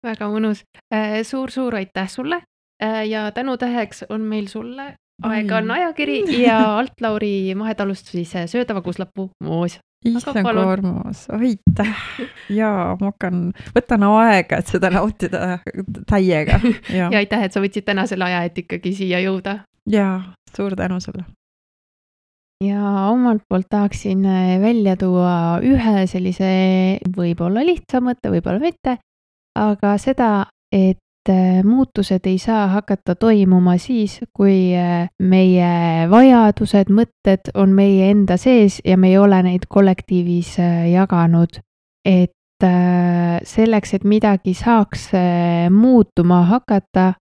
Väga mõnus. Suur aitäh sulle ja tänutäheks on meil sulle Aeg-on ajakiri ja Alt-Lauri Mahetalust siis Söödava kuuslappu moos. Issand koormus, aitäh. Jaa, ma võtan aega, et seda nautida täiega. Ja aitäh, et sa võtsid täna selle aja, et ikkagi siia jõuda. Jaa, suur tänu sulle. Ja omalt poolt tahaksin välja tuua ühe sellise võib-olla lihtsa mõtte, võib-olla mitte, aga seda, et muutused ei saa hakata toimuma siis, kui meie vajadused, mõtted on meie enda sees ja me ei ole neid kollektiivis jaganud. Et selleks, et midagi saaks muutuma hakata,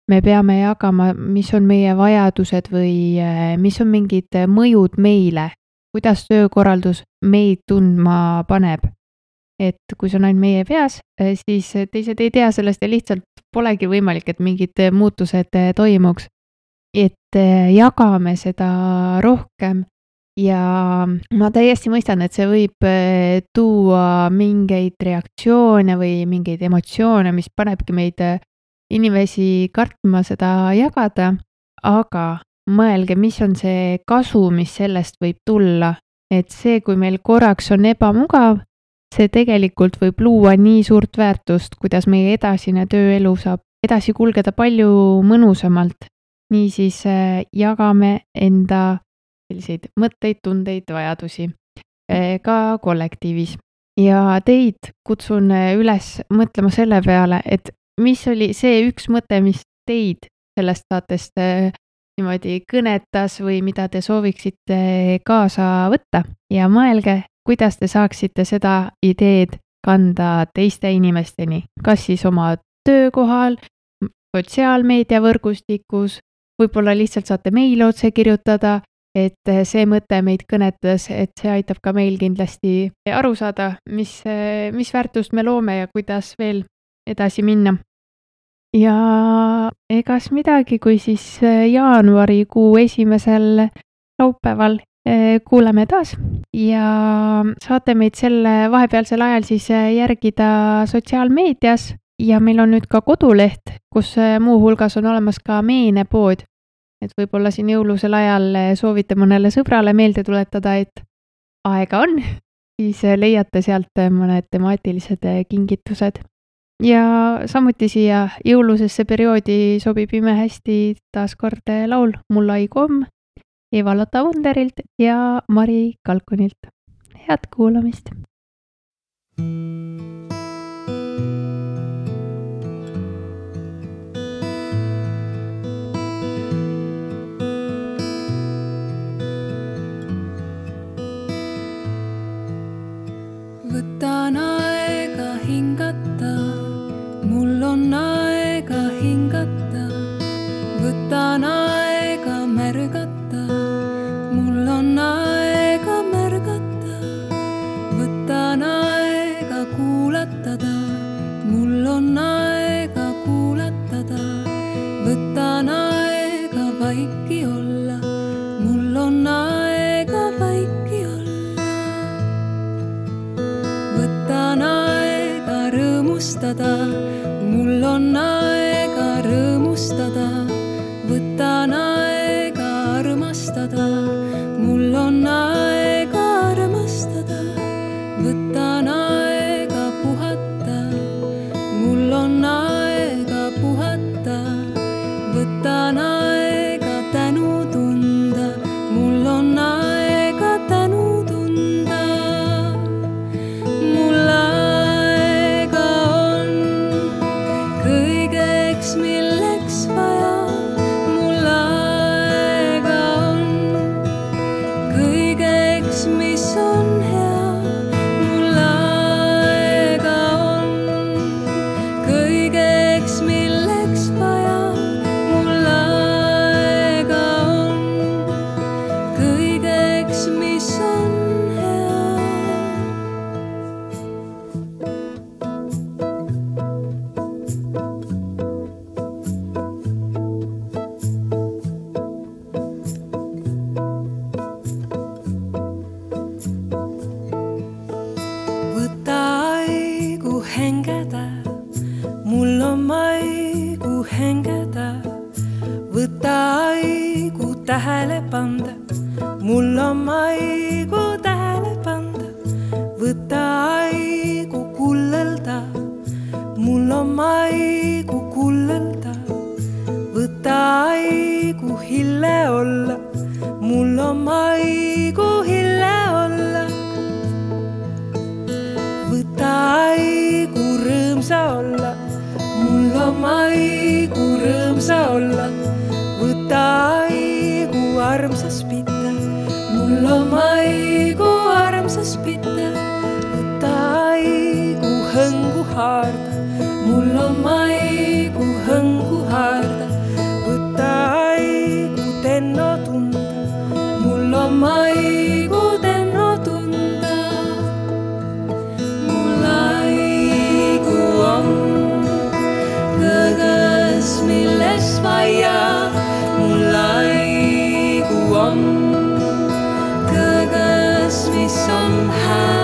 me peame jagama, mis on meie vajadused või mis on mingid mõjud meile, kuidas töökorraldus meid tundma paneb. Et kui see on ainult meie peas, siis teised ei tea sellest ja lihtsalt polegi võimalik, et mingid muutused toimuks. Et jagame seda rohkem ja ma täiesti mõistan, et see võib tuua mingeid reaktsioone või mingeid emotsioone, mis panebki meid inimesi kartma seda jagada, aga mõelge, mis on see kasu, mis sellest võib tulla. Et see, kui meil korraks on ebamugav, see tegelikult võib luua nii suurt väärtust, kuidas meie edasine tööelu saab edasi kulgeda palju mõnusamalt. Niisiis jagame enda selliseid mõtteid, tundeid, vajadusi ka kollektiivis. Ja teid kutsun üles mõtlema selle peale, et mis oli see üks mõte, mis teid sellest saatest niimoodi kõnetas või mida te sooviksite kaasa võtta ja mõelge, kuidas te saaksite seda ideed kanda teiste inimesteni, kas siis oma töökohal, sotsiaalmeediavõrgustikus, võib-olla lihtsalt saate meile otse kirjutada, et see mõte meid kõnetas, et see aitab ka meil kindlasti aru saada, mis väärtust me loome ja kuidas veel edasi minna. Ja egas midagi, kui siis jaanuarikuu esimesel laupäeval kuuleme taas ja saate meid selle vahepealsel ajal siis järgida sotsiaalmeedias ja meil on nüüd ka koduleht, kus muu hulgas on olemas ka meenepood. Et võib-olla siin jõulusel ajal soovite mõnele sõbrale meelde tuletada, et aega on, siis leiate sealt mõned temaatilised kingitused. Ja samuti siia jõulusesse perioodi sobib imehästi taas kord laul Mulla ei komm Eva-Lotta Wunderilt ja Mari Kalkunilt. Head kuulamist! Võtan aega hingata, mul on aega hingata. Võtan aega märgata, mul on aega märgata. Võtan aega kuulatada, mul on aega kuulatada. Võtan aega vaiki olla, mul on aega vaiki olla. Võtan aega rõõmustada, mul on aega rõõmustada. Võtan aega armastada, mul on aega armastada. Võtan aega puhata, mul on aega puhata. Võtan aega tänu tunda, mul on aega tänu tunda. Mul aega on kõik. mul on maigu tähele panda, võta aigu kullelda, mul on maigu kullelda, võta aigu hille olla, mul on maigu hille olla, võta aigu rõõmsa olla, mul on maigu rõõmsa olla, võta aigu armsas pita, mul on maigu armsas pita, võta aigu hõngu haarda, mul on maigu hõngu haarda, võta aigu tenno tunda, mul on maigu tenno tunda, mul aigu on kõõgas, milles vaia, mul aigu on kõõgas, mis on hää.